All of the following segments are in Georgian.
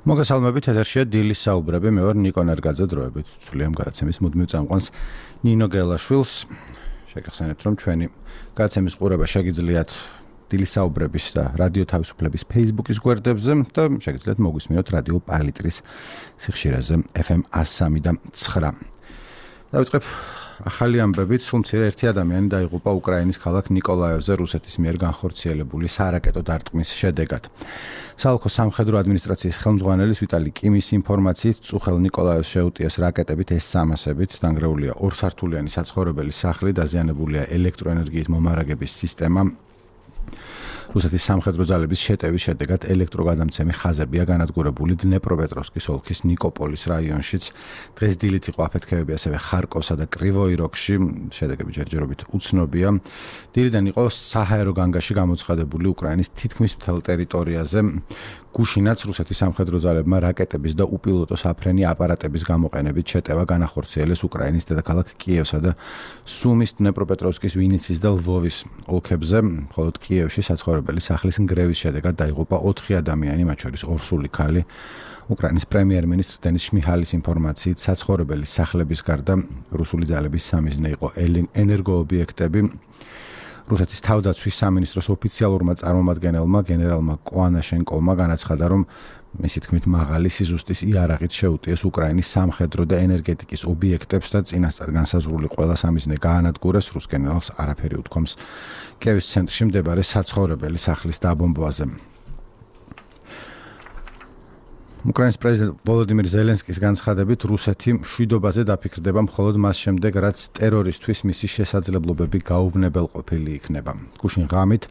მოგესალმებით, ეთერშია დილის საუბრები, მე ვარ ნიკო ნერგაძე, დროებით ცვლიან გადაცემის მუდმივ წამყვანს ნინო გელაშვილს. შეგახსენებთ, რომ ჩვენი გადაცემის ყურება შეგიძლიათ დილის საუბრების და რადიო თავისუფლების Facebook-ის გვერდებზე და შეგიძლიათ მოგვისმინოთ რადიო პალიტრის სიხშირეზე FM 103.9. დავიწყებ ახალი ამბებით, სულ მცირე ერთი ადამიანი დაიღუპა უკრაინის ქალაქ ნიკოლაევზე რუსეთის მიერ განხორციელებული სარაკეტო დარტყმის შედეგად. საოლქო სამხედრო ადმინისტრაციის ხელმძღვანელის ვიტალი კიმის ინფორმაციით, წუხელ ნიკოლაევს შეუტიეს რაკეტებით S-300-ით, დანგრეულია ორსართულიანი საცხოვრებელი სახლი, დაზიანებულია ელექტროენერგიით მომარაგების სისტემა. რუსეთის სამხედრო ძალების შეტევის შედეგად ელექტროგადამცემი ხაზებია განადგურებული დნეპროპეტროვსკის ოლქის ნიკოპოლის რაიონშიც. დღეს დილით იყო აფეთქებები ასევე ხარკოვსა და კრივოი როგში, შედეგები ჯერჯერობით უცნობია. დილიდან იყო საჰაერო განგაში გამოცხადებული უკრაინის თითქმის მთელ ტერიტორიაზე გუშინაც რუსეთის სამხედრო ძალებმა რაკეტების და უპილოტო საფრენი აპარატების გამოყენებით შეტევა განახორციელეს უკრაინის დედაქალაქ კიევსა და სუმის, დნეპროპეტროვსკის, ვინიცის და ლვოვის ოლქებზე, მხოლოდ კიევში საცხოვრებელი სახლის ნგრევის შედეგად დაიღუპა 4 ადამიანი, მათ შორის ორსული ქალი. უკრაინის პრემიერ-მინისტრ დენის შმიჰალის ინფორმაციით, საცხოვრებელი სახლების გარდა რუსული ძალების სამიზნე იყო ენერგოობიექტები. რუსეთის თავდაცვის სამინისტროს ოფიციალურმა წარმომადგენელმა გენერალმა კოანაშენკოვმა განაცხადა, რომ მისი თქმით მაღალი სიზუსტის იარაღით შეუტიეს უკრაინის სამხედრო და ენერგეტიკის ობიექტებს და წინასწარ განსაზღვრული ყველა სამიზნე გაანადგურეს. რუს გენერალს არაფერი უთქვამს კიევის ცენტრში მდებარე საცხოვრებელი სახლის დაბომბვაზე. უკრაინის პრეზიდენტ ვოლოდიმირ ზელენსკის განცხადებით, რუსეთი მშვიდობაზე დაფიქრდება მხოლოდ მას შემდეგ, რაც ტერორისთვის მისი შესაძლებლობები გაუვნებელყოფილი იქნება. გუშინ ღამით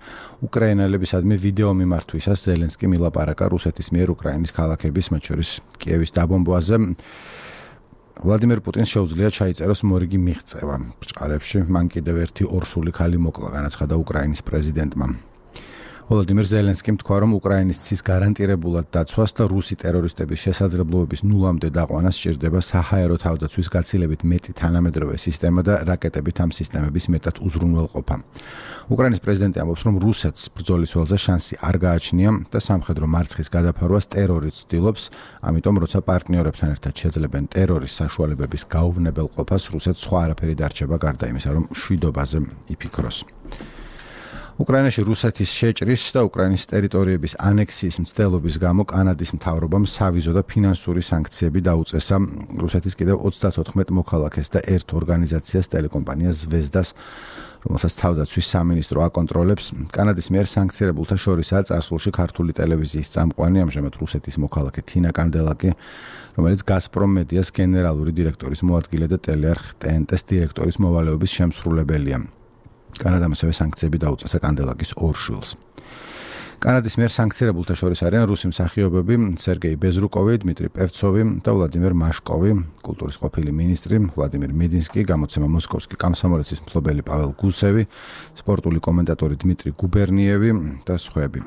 უკრაინელებისადმი ვიდეო მიმართვისას ზელენსკი მილაპარაკა რუსეთის მიერ უკრაინის ქალაქების, მათ შორის კიევის დაბომბვაზე. ვლადიმერ პუტინს შეუძლია ჩაიწეროს მორიგი მიღწევა. ბრჭყალებში მან კიდევ ერთი ორსული ქალი მოკლა, განაცხადა უკრაინის პრეზიდენტმა. ვოლოდიმირ ზელენსკიმ თქვა, რომ უკრაინის ცის გარანტირებულად დაცვას და რუსი ტერორისტების შესაძლებლობების ნულამდე დაყვანას სჭირდება საჰაერო თავდაცვის გაცილებით მეტი თანამედროვე სისტემა და რაკეტებით ამ სისტემების მეტად უზრუნველყოფა. უკრაინის პრეზიდენტი ამბობს, რომ რუსეთს ბრძოლის ველზე შანსი არ გააჩნია და სამხედრო მარცხის გადაფარვას ტერორი ცდილობს, ამიტომ როცა პარტნიორებთან ერთად შეძლებენ ტერორის საშუალებების გაუვნებელყოფას, რუსეთს სხვა არაფერი დარჩება გარდა იმისა, რომ მშვიდობაზე იფიქროს. უკრაინაში რუსეთის შეჭრის და უკრაინის ტერიტორიების ანექსიის მცდელობის გამო კანადის მთავრობამ სავიზო და ფინანსური სანქციები დაუწესა რუსეთის კიდევ 34 მოქალაქეს და ერთ ორგანიზაციას, ტელეკომპანია ზვეზდას, რომელსაც თავდაცვის სამინისტრო აკონტროლებს. კანადის მიერ სანქცირებულთა შორისაა წარსულში ქართული ტელევიზიის წამყვანი, ამჟამად რუსეთის მოქალაქე თინა კანდელაკი, რომელიც გაზპრომ მედიას გენერალური დირექტორის მოადგილე და ტელეარხ TNT-ს დირექტორის მოვალეობის შემსრულებელია. კანადამ ასევე სანქციები დაუწესა კანდელაკის ორ შვილს. კანადის მიერ სანქცირებულთა შორის არიან რუსი მსახიობები სერგეი ბეზრუკოვი, დმიტრი პევცოვი და ვლადიმერ მაშკოვი, კულტურის ყოფილი მინისტრი ვლადიმერ მედინსკი, გამოცემა მოსკოვსკი კამსომოლეცის მფლობელი პაվել გუსევი, სპორტული კომენტატორი დმიტრი გუბერნიევი და სხვები.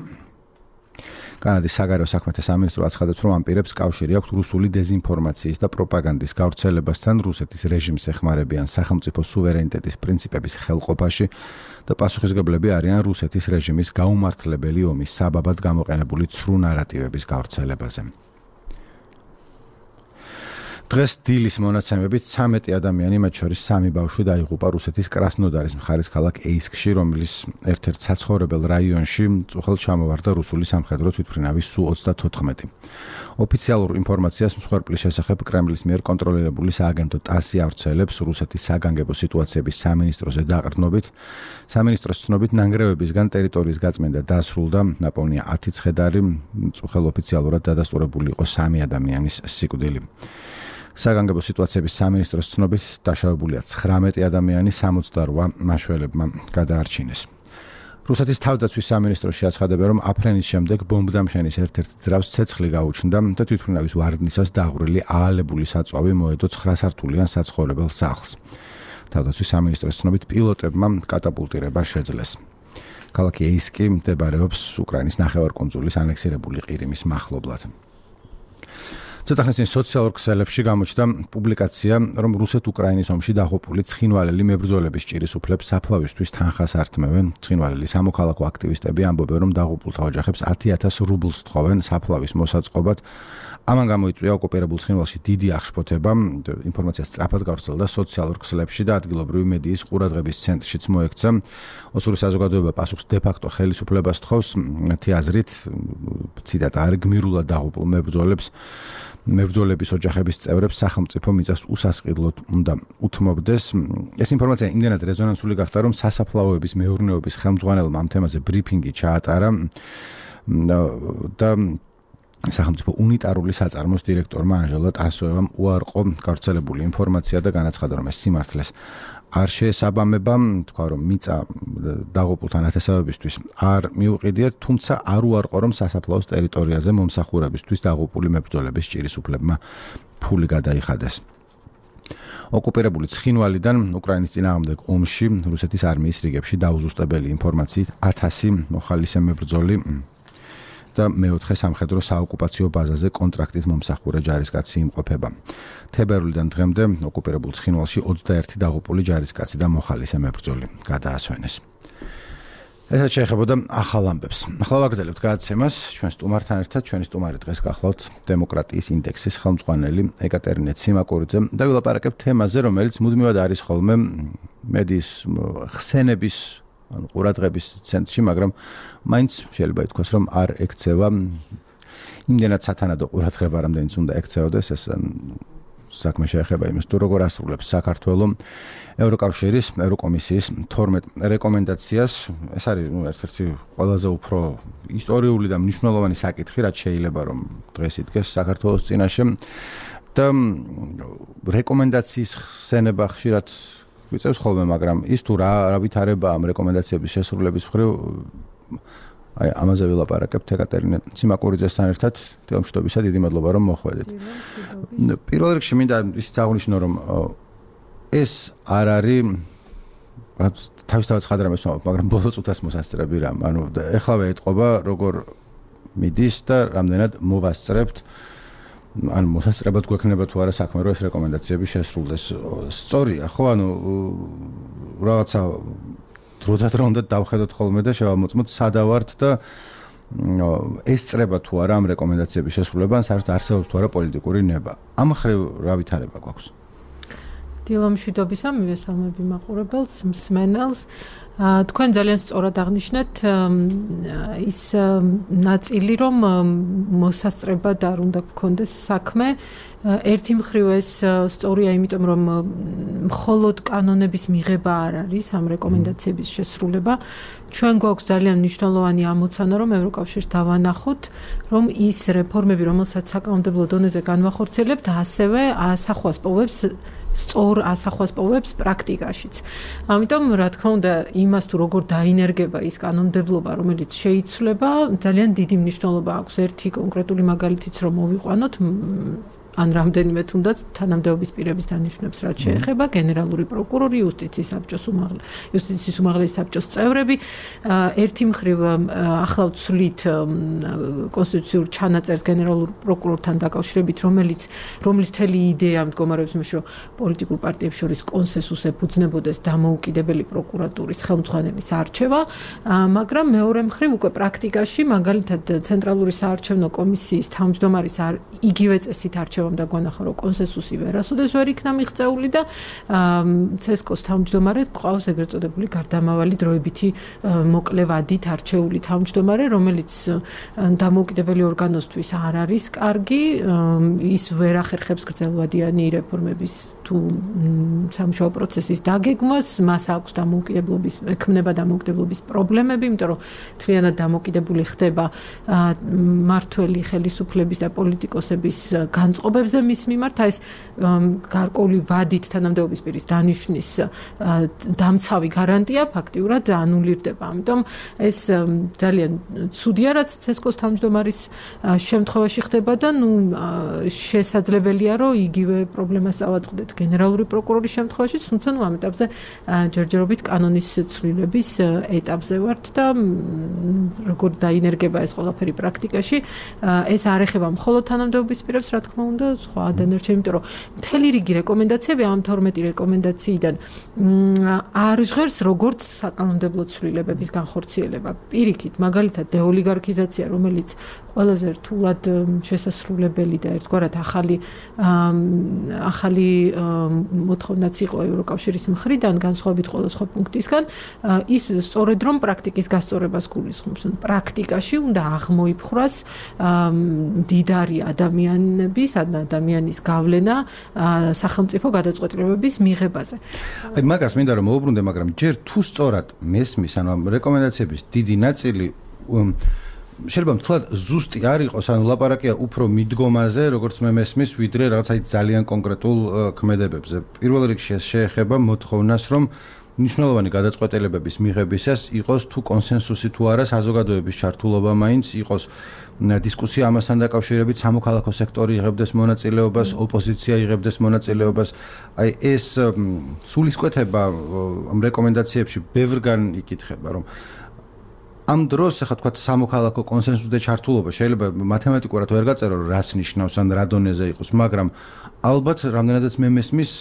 კანადის საგარეო საქმეთა სამინისტრო აცხადებს, რომ ამ პირებს კავშირი აქვს რუსული დეზინფორმაციის და პროპაგანდის გავრცელებასთან, რუსეთის რეჟიმს ეხმარებიან სახელმწიფო სუვერენიტეტის პრინციპების ხელყოფაში და პასუხისმგებლები არიან რუსეთის რეჟიმის გაუმართლებელი ომის საბაბად გამოყენებული ცრუ ნარატივების გავრცელებაზე. დღეს დილის მონაცემებით 13 ადამიანი, მათ შორის 3 ბავშვი დაიღუპა რუსეთის კრასნოდარის მხარის ქალაქ ეისკში, რომლის ერთ-ერთ საცხოვრებელ რაიონში წუხელ ჩამოვარდა რუსული სამხედრო თვითმფრინავის Su-34. ოფიციალურ ინფორმაციას მსხვერპლის შესახებ კრემლის მიერ კონტროლირებული სააგენტო TASS-ი ავრცელებს რუსეთის საგანგებო სიტუაციების სამინისტროზე დაყრდნობით. სამინისტროს ცნობით ნანგრევებისგან ტერიტორიის გაწმენდა დასრულდა, ნაპოვნია 10 ცხედარი, წუხელ ოფიციალურად დადასტურებული იყო 3 ადამიანის სიკვდილი. საგანგებო სიტუაციების სამინისტროს ცნობით დაშავებულია 19 ადამიანი, 68 მაშველებმა გადაარჩინეს. რუსეთის თავდაცვის სამინისტროში აცხადებენ, რომ აფრენის შემდეგ ბომბდამშენის ერთ-ერთ ძრავს ცეცხლი გაუჩნდა და თვითმფრინავის ვარდნისას დაღვრილი აალებული საწვავი მოედო 9 სართულიან საცხოვრებელ სახლს. თავდაცვის სამინისტროს ცნობით პილოტებმა კატაპულტირება შეძლეს. ქალაქი ეისკი მდებარეობს უკრაინის ნახევარკუნძულის ანექსირებული ყირიმის მახლობლად. ცოტა ხნის წინ სოციალურ ქსელებში გამოჩნდა პუბლიკაცია, რომ რუსეთ-უკრაინის ომში დაღუპული ცხინვალელი მებრძოლების ჭირის უფლებს საფლავისთვის თანხას ართმევენ. ცხინვალელი სამოქალაქო აქტივისტები ამბობენ, რომ დაღუპულთა ოჯახებს 10,000 რუბლს თხოვენ საფლავის მოსაწყობად. ამან გამოიწვია ოკუპირებულ ცხინვალში დიდი აღშფოთება, ინფორმაცია სწრაფად გავრცელდა სოციალურ ქსელებში და ადგილობრივი მედიის ყურადღების ცენტრშიც მოექცა. ოსური საზოგადოება პასუხს დე-ფაქტო ხელისუფლებას თხოვს. მათი აზრით, ციტატა, არ გმირულად დაღუპულ მებრძოლების ოჯახების წევრებს სახელმწიფო მიწას უსასყიდლოდ უნდა უთმობდეს. ეს ინფორმაცია იმდენად რეზონანსული გახდა, რომ სასაფლაოების მეურნეობის ხელმძღვანელმა ამ თემაზე ბრიფინგი ჩაატარა და სახელმწიფო უნიტარული საწარმოს დირექტორმა ანჟელა ტარასოვამ უარყო გავრცელებული ინფორმაცია და განაცხადა, რომ ეს სიმართლეს არ შეესაბამება, თქვა, რომ მიწა დაღუპულთა ნათესავებისთვის არ მიუყიდიათ, თუმცა არ უარყო, რომ სასაფლაოს ტერიტორიაზე მომსახურებისთვის დაღუპული მებრძოლების ჭირის უფლებმა ფული გადაიხადეს. ოკუპირებული ცხინვალიდან უკრაინის წინააღმდეგ ომში რუსეთის არმიის რიგებში დაუზუსტებელი ინფორმაციით 1000 მოხალისე მებრძოლი და მეოთხე სამხედრო საოკუპაციო ბაზაზე კონტრაქტით მომსახურე ჯარისკაცი იმყოფება. თებერვლიდან დღემდე ოკუპირებულ ცხინვალში 21 დაღუპული ჯარისკაცი და მოხალისე მებრძოლი გადაასვენეს. ესაც შეეხებოდა ახალ ამბებს. ახლა ვაგრძელებთ გადაცემას ჩვენ სტუმართან ერთად. ჩვენი სტუმარი დღეს გახლავთ დემოკრატიის ინდექსის ხელმძღვანელი ეკატერინე ციმაკურიძე და ვილაპარაკებთ თემაზე, რომელიც მუდმივად არის ხოლმე მედიის ხსენების ყურადღების ცენტრში, მაგრამ მაინც შეიძლება ითქვას, რომ არ ექცევა იმდენად სათანადო ყურადღება, რამდენიც უნდა ექცეოდეს. ეს საქმე შეეხება იმას, თუ როგორ ასრულებს საქართველოს ევროკავშირის ევროკომისიის 12 რეკომენდაციას. ეს არის ერთ-ერთი ყველაზე უფრო ისტორიული და მნიშვნელოვანი საკითხი, რაც შეიძლება რომ დღეს იდგეს საქართველოს წინაშე და რეკომენდაციის ხსენება ხშირად ვიწევს ხოლმე, მაგრამ ის თუ რა ვითარება ამ რეკომენდაციების შესრულების მხრივ, აი ამაზე ვილაპარაკებთ ეკატერინე ციმაკურიძესთან ერთად. თილმშვიდობისა, დიდი მადლობა რომ მოხვედით. პირველ რიგში მინდა ისიც აღნიშნო, რომ ეს არ არის თავისთავად ხადრამეს ვამბობ, მაგრამ ბოლო წუთას მოსასწრები რამ. ანუ ეხლავე ეტყობა, როგორ მიდის და რამდენად მოვასწრებთ. ან მოსასწრებად გვექნება თუ არა საქმე, რომ ეს რეკომენდაციები შესრულდეს. სწორია, ხო, ანუ რაღაცა დროდადრო უნდა დავხედოთ ხოლმე და შევამოწმოთ სადავართ და ეს წრება თუ არა ამ რეკომენდაციების შესრულება, ან საერთოდ არსებობს თუ არა პოლიტიკური ნება. ამ ხრივ რა ვითარება გვაქვს? დილომშვიდობისა, მივესალმები მაყურებელს, მსმენელს. თქვენ ძალიან სწორად აღნიშნეთ ის ნაწილი, რომ მოსასწრებად არ უნდა გქონდეს საქმე. ერთი მხრივ ეს სწორია, იმიტომ რომ მხოლოდ კანონების მიღება არ არის ამ რეკომენდაციების შესრულება. ჩვენ გვაქვს ძალიან მნიშვნელოვანი ამოცანა, რომ ევროკავშირს დავანახოთ, რომ ის რეფორმები, რომელსაც საკანონმდებლო დონეზე განვახორციელებთ, ასევე ასახვას პოვებს სწორ ასახვას პოვებს პრაქტიკაშიც. ამიტომ, რა თქმა უნდა, იმას თუ როგორ დაინერგება ის კანონმდებლობა, რომელიც შეიცვლება, ძალიან დიდი მნიშვნელობა აქვს. ერთი კონკრეტული მაგალითიც რომ მოვიყვანოთ, ან რამდენიმე თუნდაც თანამდებობის პირების დანიშვნებს, რაც შეეხება გენერალური პროკურორი, იუსტიციის უმაღლესი საბჭოს წევრები. ერთი მხრივ ახლავ ცვლით კონსტიტუციურ ჩანაწერს გენერალურ პროკურორთან დაკავშირებით, რომლის მთელი იდეა მდგომარეობს იმაში, რომ პოლიტიკურ პარტიებს შორის კონსენსუსს ეფუძნებოდეს დამოუკიდებელი პროკურატურის ხელმძღვანელის არჩევა, მაგრამ მეორე მხრივ უკვე პრაქტიკაში, მაგალითად ცენტრალური საარჩევნო კომისიის თავმჯდომარის იგივე წესით არჩევა და გვანახა, რომ კონსენსუსი ვერასოდეს ვერ იქნა მიღწეული და ცესკოს თავმჯდომარე გვყავს ეგრეთ წოდებული გარდამავალი დროებითი მოკლე ვადით არჩეული თავმჯდომარე, რომელიც დამოუკიდებელი ორგანოსთვის არ არის კარგი, ის ვერ ახერხებს გრძელვადიანი რეფორმების თუ სამუშაო პროცესის დაგეგმვას, მას აქვს ექმნება დამოუკიდებლობის პრობლემები, იმიტომ რომ თლიანად დამოუკიდებული ხდება მმართველი ხელისუფლების და პოლიტიკოსების განწყობებზე მის მიმართ, ეს გარკვეული ვადით თანამდებობის პირის დანიშვნის დამცავი გარანტია ფაქტიურად ანულირდება. ამიტომ ეს ძალიან ცუდია, რაც ცესკოს თავმჯდომარის შემთხვევაში ხდება და შესაძლებელია, რომ იგივე პრობლემას წავაწყდეთ გენერალური პროკურორის შემთხვევაში, თუმცა ამ ეტაპზე ჯერჯერობით კანონის ცვლილების ეტაპზე ვართ და როგორ დაინერგება ეს ყველაფერი პრაქტიკაში, ეს არ ეხება მხოლოდ თანამდებობის პირებს, რა თქმა უნდა, და სხვა დანარჩენი, იმიტომ რომ მთელი რიგი რეკომენდაციები ამ 12 რეკომენდაციიდან არ ჟღერს როგორც საკანონმდებლო ცვლილებების განხორციელება. პირიქით, მაგალითად, დეოლიგარქიზაცია, რომელიც ყველაზე რთულად შესასრულებელი და ერთგვარად ახალი მოთხოვნაც იყო ევროკავშირის მხრიდან, განსხვავებით ყველა სხვა პუნქტისგან, ის სწორედ რომ პრაქტიკის გასწორებას გულისხმობს. პრაქტიკაში უნდა აღმოიფხვრას მდიდარი ადამიანის გავლენა სახელმწიფო გადაწყვეტილებების მიღებაზე. აი მაგას მინდა რომ მოუბრუნდე, მაგრამ ჯერ თუ სწორად მესმის, ანუ რეკომენდაციების დიდი ნაწილი შეიძლება მთლად ზუსტი არ იყოს, ანუ ლაპარაკია უფრო მიდგომაზე, როგორც მე მესმის, ვიდრე რაღაც აი ძალიან კონკრეტულ ქმედებებზე. პირველ რიგში ეს შეეხება მოთხოვნას, რომ მნიშვნელოვანი გადაწყვეტილებების მიღებისას იყოს თუ კონსენსუსი თუ არა საზოგადოების ჩართულობა მაინც იყოს დისკუსია ამასთან დაკავშირებით, სამოქალაქო სექტორი იღებდეს მონაწილეობას, ოპოზიცია იღებდეს მონაწილეობას. აი ეს სულისკვეთება ამ რეკომენდაციებში ბევრგან იკითხება, რომ ამ დროს ახლა თქვა სამოქალაქო კონსენსუსი და ჩართულობა შეიძლება მათემატიკურად ვერ გაწერო რას ნიშნავს ან რა დონეზე იყოს, მაგრამ ალბათ რამდენადაც მე მესმის,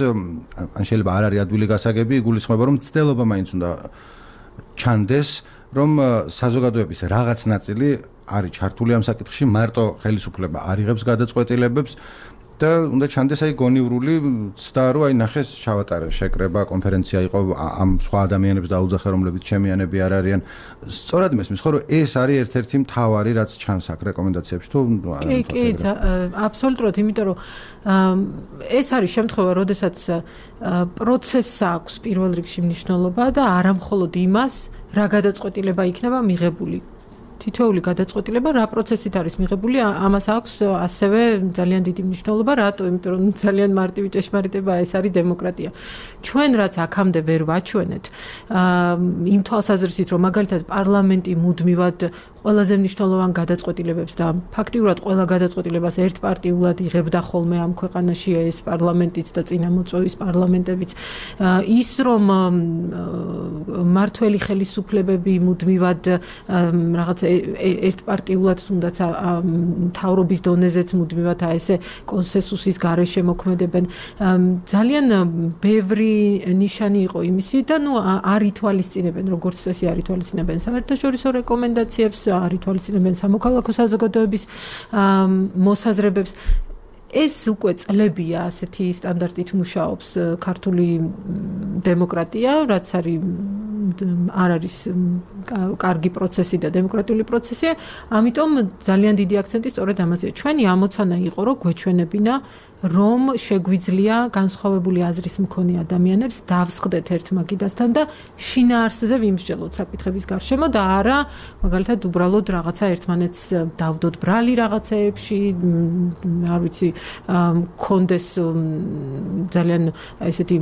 ან შეიძლება არ არის ადვილი გასაგები, იგულისხმება რომ ცდელობა მაინც უნდა ჩანდეს, რომ საზოგადოების რაღაც ნაწილი არის ჩართული ამ საკითხში, მარტო ხელისუფლება არ იღებს გადაწყვეტილებებს და უნდა ჩანდეს აი გონივრული ცდა, რომ აი ნახეს ჩავატარე შეკრება, კონფერენცია იყო ამ სხვა ადამიანებს დაუძახე, რომლებიც ჩემიანები არ არიან. სწორად მესმის, ხო, რომ ეს არის ერთ-ერთი მთავარი, რაც ჩანს აქ რეკომენდაციებში, თუ არა? კი, აბსოლუტურად, იმიტომ რომ ეს არის შემთხვევა, როდესაც პროცესს აქვს პირველ რიგში მნიშვნელობა და არა მხოლოდ იმას, რა გადაწყვეტილება იქნება მიღებული. თითოეული გადაწყვეტილება რა პროცესით არის მიღებული, ამას აქვს ასევე ძალიან დიდი მნიშვნელობა, რატო? იმიტომ რომ ძალიან მარტივი ჭეშმარიტება ეს არის დემოკრატია. ჩვენ რაც აქამდე ვერ ვაჩვენეთ, იმ თვალსაზრისით, რომ მაგალითად პარლამენტი მუდმივად ყველაზე მნიშვნელოვან გადაწყვეტილებებს და ფაქტიურად ყველა გადაწყვეტილებას ერთპარტიულად იღებდა ხოლმე ამ ქვეყანაში ეს პარლამენტიც და წინამოწვევის პარლამენტებიც, ის რომ მართველი ხელისუფლებები მუდმივად რაღაც ერთპარტიულად თუნდაც მთავრობის დონეზეც მუდმივად ესე კონსენსუსის გარეშე მოქმედებენ. ძალიან ბევრი ნიშანი იყო იმისი და არ ითვალისწინებენ, როგორც წესი არ ითვალისწინებენ საერთაშორისო რეკომენდაციებს, არ ითვალისწინებენ სამოქალაქო საზოგადოების მოსაზრებებს. ეს უკვე წლებია ასეთი სტანდარტით მუშაობს ქართული დემოკრატია, რაც არ არის კარგი პროცესი და დემოკრატიული პროცესია, ამიტომ ძალიან დიდი აქცენტი სწორედ ამაზეა. ჩვენი ამოცანა იყო, რომ გვეჩვენებინა, რომ შეგვიძლია განსხვავებული აზრის მქონე ადამიანებს დავსხდეთ ერთმაგიდასთან და შინაარსზე ვიმსჯელოთ საკითხების გარშემო და არა მაგალითად უბრალოდ რაღაცა ერთმანეთს დავდოთ ბრალი რაღაცეებში, არ ვიცი, კონდეს ძალიან ესეთი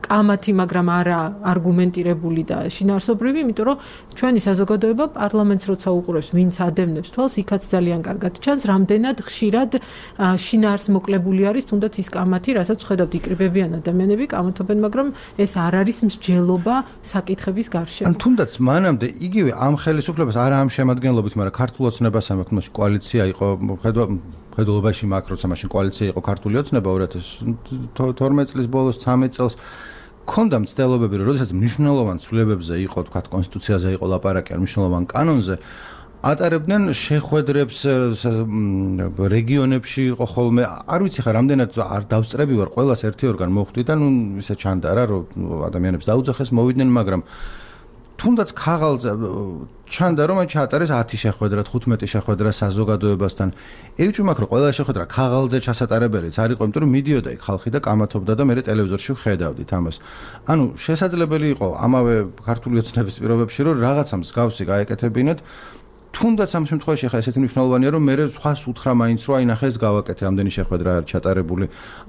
კამათი, მაგრამ არა არგუმენტირებული და შინაარსობრივი, იმიტომ რომ ჩვენი საზოგადოება პარლამენტს როცა უყურებს, ვინც ადევნებს თვალს, იქაც ძალიან კარგად ჩანს, რამდენად ხშირად შინაარს მოკლებული არის თუნდაც ის კამათი, რასაც ხედავთ იკრიბებიან ადამიანები, კამათობენ, მაგრამ ეს არ არის მსჯელობა საკითხების გარშემო. ან თუნდაც მანამდე იგივე ამ ხელისუფლებას არა ამ შემადგენლობით, მაგრამ ქართულ ოცნებას ამაქვს, მაშინ კოალიცია იყო, ხედულობაში მაგ როცა მაშინ კოალიცია იყო ქართული ოცნება 2012 წლის ბოლოს 13 წელს ქონდა მცდელობები, რომ როდესაც მნიშვნელოვან ცვლილებებზე იყო, თქვა კონსტიტუციაზე იყო ლაპარაკი, ან მნიშვნელოვან კანონზე ატარებდნენ შეხვედრებს რეგიონებში იყო ხოლმე, არ ვიცი ხა რამდენად არ დავსწრები ვარ, ყველას ერთი ორგან მოხვდი და ისე ჩანდა რა, რომ ადამიანებს დაუძახეს, მოვიდნენ, მაგრამ თუნდაც ქაღალზე ჩანდა, რომ ჩაატარეს 10 შეხვედრა, 15 შეხვედრა საზოგადოებასთან. ევჭი მაქვს, რომ ყველა შეხვედრა ქაღალზე ჩასატარებელიც არ იყო, იმიტომ რომ მიდიოდა იქ ხალხი და კამათობდა და მე ტელევიზორში ვხედავდით ამას. ანუ შესაძლებელი იყო ამავე ქართული ოცნების პირობებში, რომ რაღაცა მსგავსი გაეკეთებინათ. თუნდაც ამ შემთხვევაში ხა ესეთი მნიშვნელოვანია, რომ მე სხვას უთხრა მაინც, რომ აი ნახე ეს გავაკეთე, ამდენი შეხვედრა არის ჩატარებული,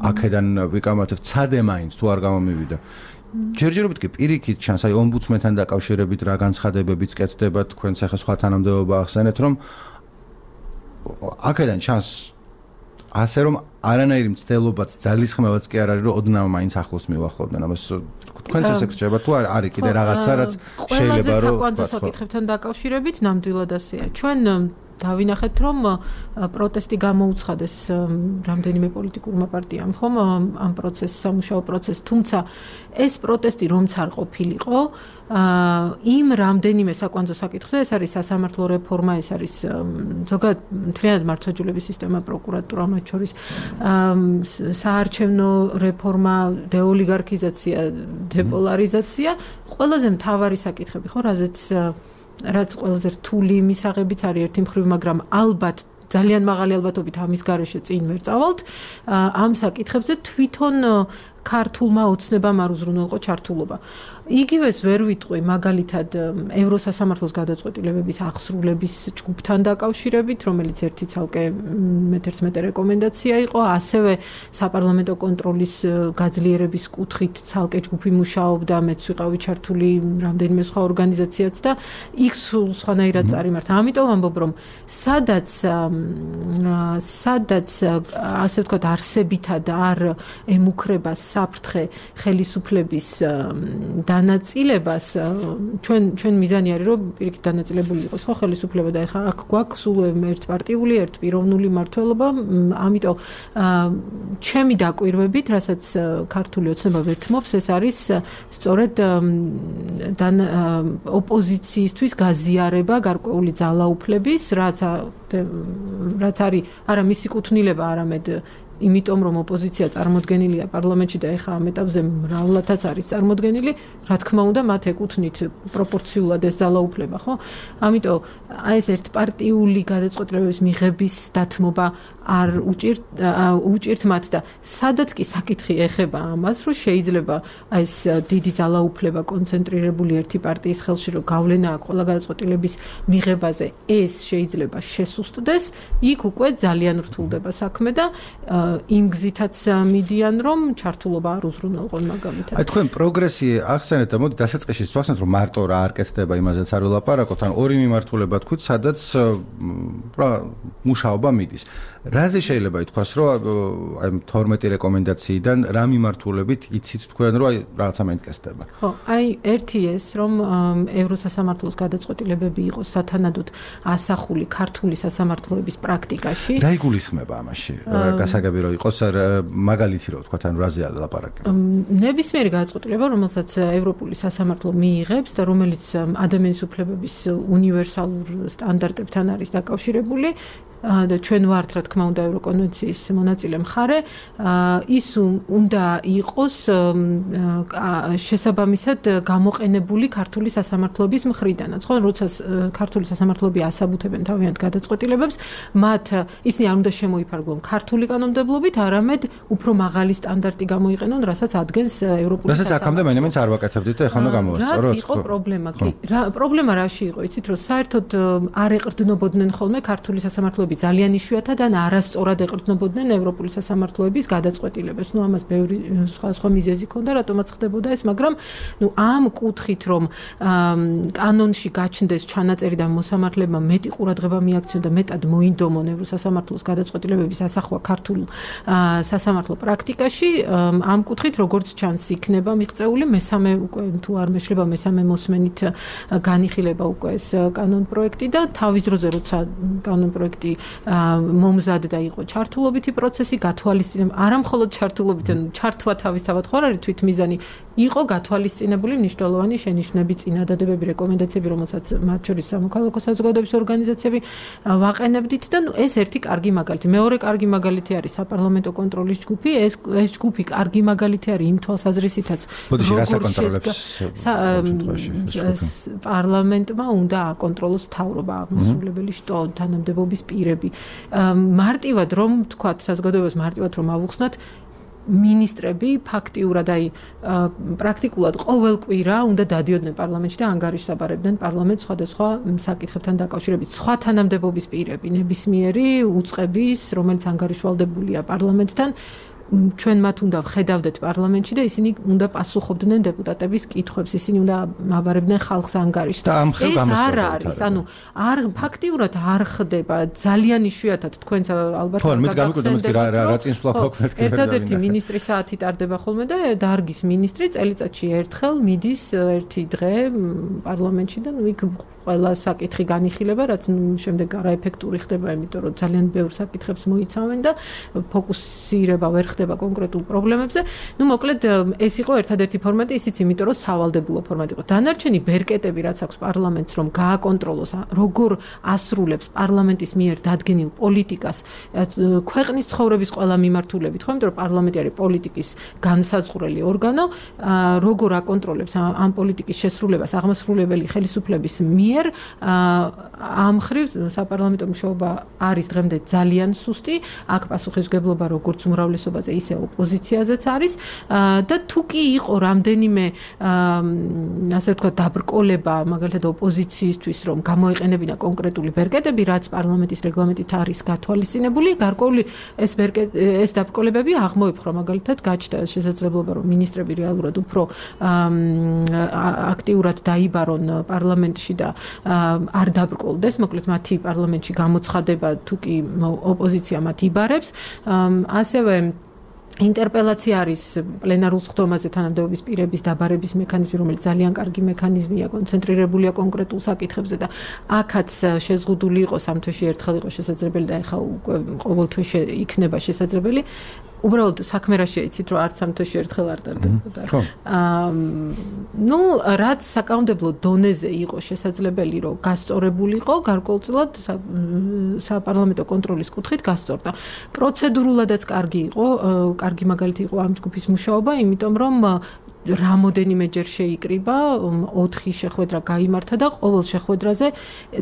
აქედან ვიკამათებ, ცადე მაინც თუ არ გამომივიდა. ჯერჯერობით კი პირიქით ჩანს, აი ომბუდსმენთან დაკავშირებით რა განცხადებებიც კეთდება, თქვენს ახლა სხვა თანამდებობა ახსენეთ, რომ აქედან ჩანს ასე რომ არანაირი მცდელობაც ძალისხმევაც კი არ არის, რომ ოდნავ მაინც ახლოს მივახლოვდნენ. ამას თქვენც ესე გრჩება თუ არის კიდე რაღაცა, რაც შეიძლება რომ ყველაზე საკითხებთან დაკავშირებით ნამდვილად ასეა. ჩვენ დავინახეთ, რომ პროტესტი გამოუცხადეს რამდენიმე პოლიტიკურმა პარტიამ, ხომ, ამ პროცესს, სამუშაო პროცესს, თუმცა ეს პროტესტი რომც არ ყოფილიყო, იმ რამდენიმე საკვანძო საკითხზე, ეს არის სასამართლო რეფორმა, ეს არის ზოგადად მთლიანად მართლმსაჯულების სისტემა, პროკურატურა, მათ შორის საარჩევნო რეფორმა, დეოლიგარქიზაცია, დეპოლარიზაცია, ყველაზე მთავარი საკითხები, ხო, რაც ყველაზე რთული მისაღებიც არის ერთი მხრივ, მაგრამ ალბათ ძალიან მაღალი ალბათობით ამის გარეშე წინ ვერ წავალთ, ამ საკითხებზე თვითონ ქართულმა ოცნებამ არ უზრუნველყო ჩართულობა. იგივეს ვერ ვიტყვი მაგალითად ევროსასამართლოს გადაწყვეტილებების აღსრულების ჯგუფთან დაკავშირებით, რომელიც ერთი ცალკე მე-11 რეკომენდაცია იყო, ასევე საპარლამენტო კონტროლის გაძლიერების კუთხით ცალკე ჯგუფი მუშაობდა, მეც ვიყავი ჩართული რამდენიმე სხვა ორგანიზაციაც და იქ სხვანაირად წარიმართა. ამიტომ ამბობ, რომ სადაც ასე ვთქვათ არსებითად არ ემუქრება საფრთხე ხელისუფლების დანაწილებას, ჩვენ მიზანი არის, რომ პირიქით დანაწილებული იყოს ხო ხელისუფლება და ეხლა აქ გვაქვს სულ ერთპარტიული, ერთპიროვნული მმართველობა, ამიტომ ჩემი დაკვირვებით, რასაც ქართული ოცნება ვერთმობს, ეს არის სწორედ ოპოზიციისთვის გაზიარება გარკვეული ძალაუფლების, რაც არის არა მისი კუთვნილება, არამედ იმიტომ რომ ოპოზიცია წარმოდგენილია პარლამენტში და ეხლა ამ ეტაპზე მრავლადაც არის წარმოდგენილი, რა თქმა უნდა, მათ ეკუთვნით პროპორციულად ეს ძალაუფლება, ხო? ამიტომ აი ეს ერთპარტიული გადაწყვეტილებების მიღების დათმობა არ უჭირთ მათ და სადაც კი საკითხი ეხება ამას, რომ შეიძლება აი ეს დიდი ძალაუფლება კონცენტრირებული ერთი პარტიის ხელში, რომ გავლენა აქვს ყველა გადაწყვეტილების მიღებაზე, ეს შეიძლება შესუსტდეს, იქ უკვე ძალიან რთულდება საქმე და იმ გზითაც მიდიან, რომ ჩართულობა არ უზრუნველყონ მაგალითად. აი თქვენ პროგრესი ახსენეთ და მოდი დასაწყისში ვახსენოთ, რომ მარტო რა არ კეთდება, იმაზეც არ ველაპარაკოთ, ან ორი მიმართულება თქვით, სადაც მუშაობა მიდის. რაზე შეიძლება ითქვას, რომ აი 12 რეკომენდაციიდან რა მიმართულებით იცით თქვენ, რომ აი რაღაცა მეინტერესდება? ხო, აი ერთი ეს, რომ ევროსასამართლოს გადაწყვეტილებები იყოს სათანადოდ ასახული ქართული სასამართლოების პრაქტიკაში. რა იგულისხმება ამაში? გასაგები რომ იყოს მაგალითი რომ თქვა, ან რაზე ლაპარაკი? ნებისმიერი გადაწყვეტილება, რომელსაც ევროპული სასამართლო მიიღებს და რომელიც ადამიანის უფლებების უნივერსალურ სტანდარტებთან არის დაკავშირებული, და ჩვენ ვართ, რა თქმა უნდა, ევროკონვენციის მონაწილე მხარე, ის უნდა იყოს შესაბამისად გამოყენებული ქართული სასამართლოების მხრიდანაც, ხო? როცა ქართული სასამართლოები ასაბუთებენ თავიანთ გადაწყვეტილებებს, მათ ისინი არ უნდა შემოიფარგლონ ქართული კანონმდებლობით, არამედ უფრო მაღალი სტანდარტი გამოიყენონ, რასაც ადგენს ევროპული სასამართლო. რასაც აქამდე მაინც არ ვაკეთებდით და ეხლა უნდა გამოვასწოროთ. რაც იყო პრობლემა, კი. პრობლემა რაში იყო, იცით, რომ საერთოდ არ ეყრდნობოდნენ ხოლმე ქართული სასამართლოები ძალიან იშვიათად ან არასწორად ეყრდნობოდნენ ევროპული სასამართლოების გადაწყვეტილებებს. ამას ბევრი სხვა მიზეზი ჰქონდა, რატომაც ხდებოდა ეს, მაგრამ ამ კუთხით, რომ კანონში გაჩნდეს ჩანაწერი და მოსამართლებმა მეტი ყურადღება მიაქციონ და მეტად მოინდომონ ევროსასამართლოს გადაწყვეტილებების ასახვა ქართულ სასამართლო პრაქტიკაში, ამ კუთხით როგორც ჩანს იქნება მიღწეული მესამე უკვე თუ არ მეშლება მესამე მოსმენით განიხილება უკვე ეს კანონპროექტი და თავის დროზე როცა კანონპროექტი მომზადდა იყო ჩართულობითი პროცესი, გათვალისწინება, არა მხოლოდ ჩართულობითი, ჩართვა თავისთავად ხო არ არის თვითმიზანი, იყო გათვალისწინებული მნიშვნელოვანი შენიშვნები, წინადადებები, რეკომენდაციები, რომელსაც მათ შორის სამოქალაქო საზოგადოების ორგანიზაციები ვაყენებდით და ეს ერთი კარგი მაგალითი. მეორე კარგი მაგალითი არის საპარლამენტო კონტროლის ჯგუფი, ეს ჯგუფი კარგი მაგალითი არის იმ თვალსაზრისითაც, პარლამენტმა უნდა აკონტროლოს მთავრობა, აღმასრულებელი შტო, თანამდებობის პირები. მარტივად რომ თქვათ, საზოგადოებას მარტივად რომ ავუხსნათ, მინისტრები ფაქტიურად აი პრაქტიკულად ყოველ კვირა უნდა დადიოდნენ პარლამენტში და ანგარიშსაბარებდნენ პარლამენტს სხვადასხვა საკითხებთან დაკავშირებით. სხვა თანამდებობის პირები, ნებისმიერი უწყების, რომელიც ანგარიშვალდებულია პარლამენტთან, ჩვენ მათ უნდა ვხედავდეთ პარლამენტში და ისინი უნდა პასუხობდნენ დეპუტატების კითხვებს, ისინი უნდა აბარებდნენ ხალხს ანგარიშს. ეს არ არის, არ ფაქტიურად არ ხდება, ძალიან იშვიათად თქვენც ალბათ ერთადერთი მინისტრის საათი ტარდება ხოლმე და დარგის მინისტრი წელიწადში ერთხელ მიდის ერთი დღე პარლამენტში და იქ ყველა საკითხი განიხილება, რაც შემდეგ არაეფექტური ხდება, იმიტომ რომ ძალიან ბევრ საკითხებს მოიცავენ და ფოკუსირება ვერ ხდება კონკრეტულ პრობლემებზე. მოკლედ ეს იყო ერთადერთი ფორმატი, ისიც იმიტომ რომ სავალდებულო ფორმატი იყო. დანარჩენი ბერკეტები, რაც აქვს პარლამენტს, რომ გააკონტროლოს, როგორ ასრულებს პარლამენტის მიერ დადგენილ პოლიტიკას, ქვეყნის ცხოვრების ყველა მიმართულებით, ხო, იმიტომ რომ პარლამენტი არის პოლიტიკის განსაზღვრელი ორგანო, როგორ აკონტროლებს ამ პოლიტიკის შესრულებას აღმასრულებელი ხელისუფლების მიერ ამ ხრივ საპარლამენტო მუშაობა არის დღემდე ძალიან სუსტი, აქ პასუხისმგებლობა როგორც უმრავლესობაზე, ისე ოპოზიციაზეც არის და თუ კი იყო რამდენიმე ასე ვთქვათ დაბრკოლება, მაგალითად ოპოზიციისთვის, რომ გამოეყენებინა კონკრეტული ბერკეტები, რაც პარლამენტის რეგლამენტით არის გათვალისწინებული, გარკვეული ეს დაბრკოლებები აღმოიფხვრა, მაგალითად გაჩნდა შესაძლებლობა, რომ მინისტრები რეალურად უფრო აქტიურად დაიბარონ პარლამენტში და არ დაბრკოლდეს, მოკლედ მათი პარლამენტში გამოცხადება თუ კი ოპოზიცია მათ იბარებს, ასევე ინტერპელაცია არის პლენარულ სხდომაზე თანამდებობის პირების დაბარების მექანიზმი, რომელიც ძალიან კარგი მექანიზმია, კონცენტრირებულია კონკრეტულ საკითხებზე და აქაც შეზღუდული იყო სამ თვეში ერთხელ იყო შესაძლებელი და ეხლა უკვე ყოველ თვეში იქნება შესაძლებელი. უბრალოდ საქმე რა შეიცით, რომ არც სამ თვეში ერთხელ არ ტარდებოდა. რაც საკანონმდებლო დონეზე იყო შესაძლებელი, რომ გასწორებულიყო, გარკვეულწილად საპარლამენტო კონტროლის კუთხით გასწორდა. პროცედურულადაც კარგი მაგალითი იყო ამ ჯგუფის მუშაობა, იმიტომ რომ რამოდენიმეჯერ შეიკრიბა, 4 შეხვედრა გაიმართა და ყოველ შეხვედრაზე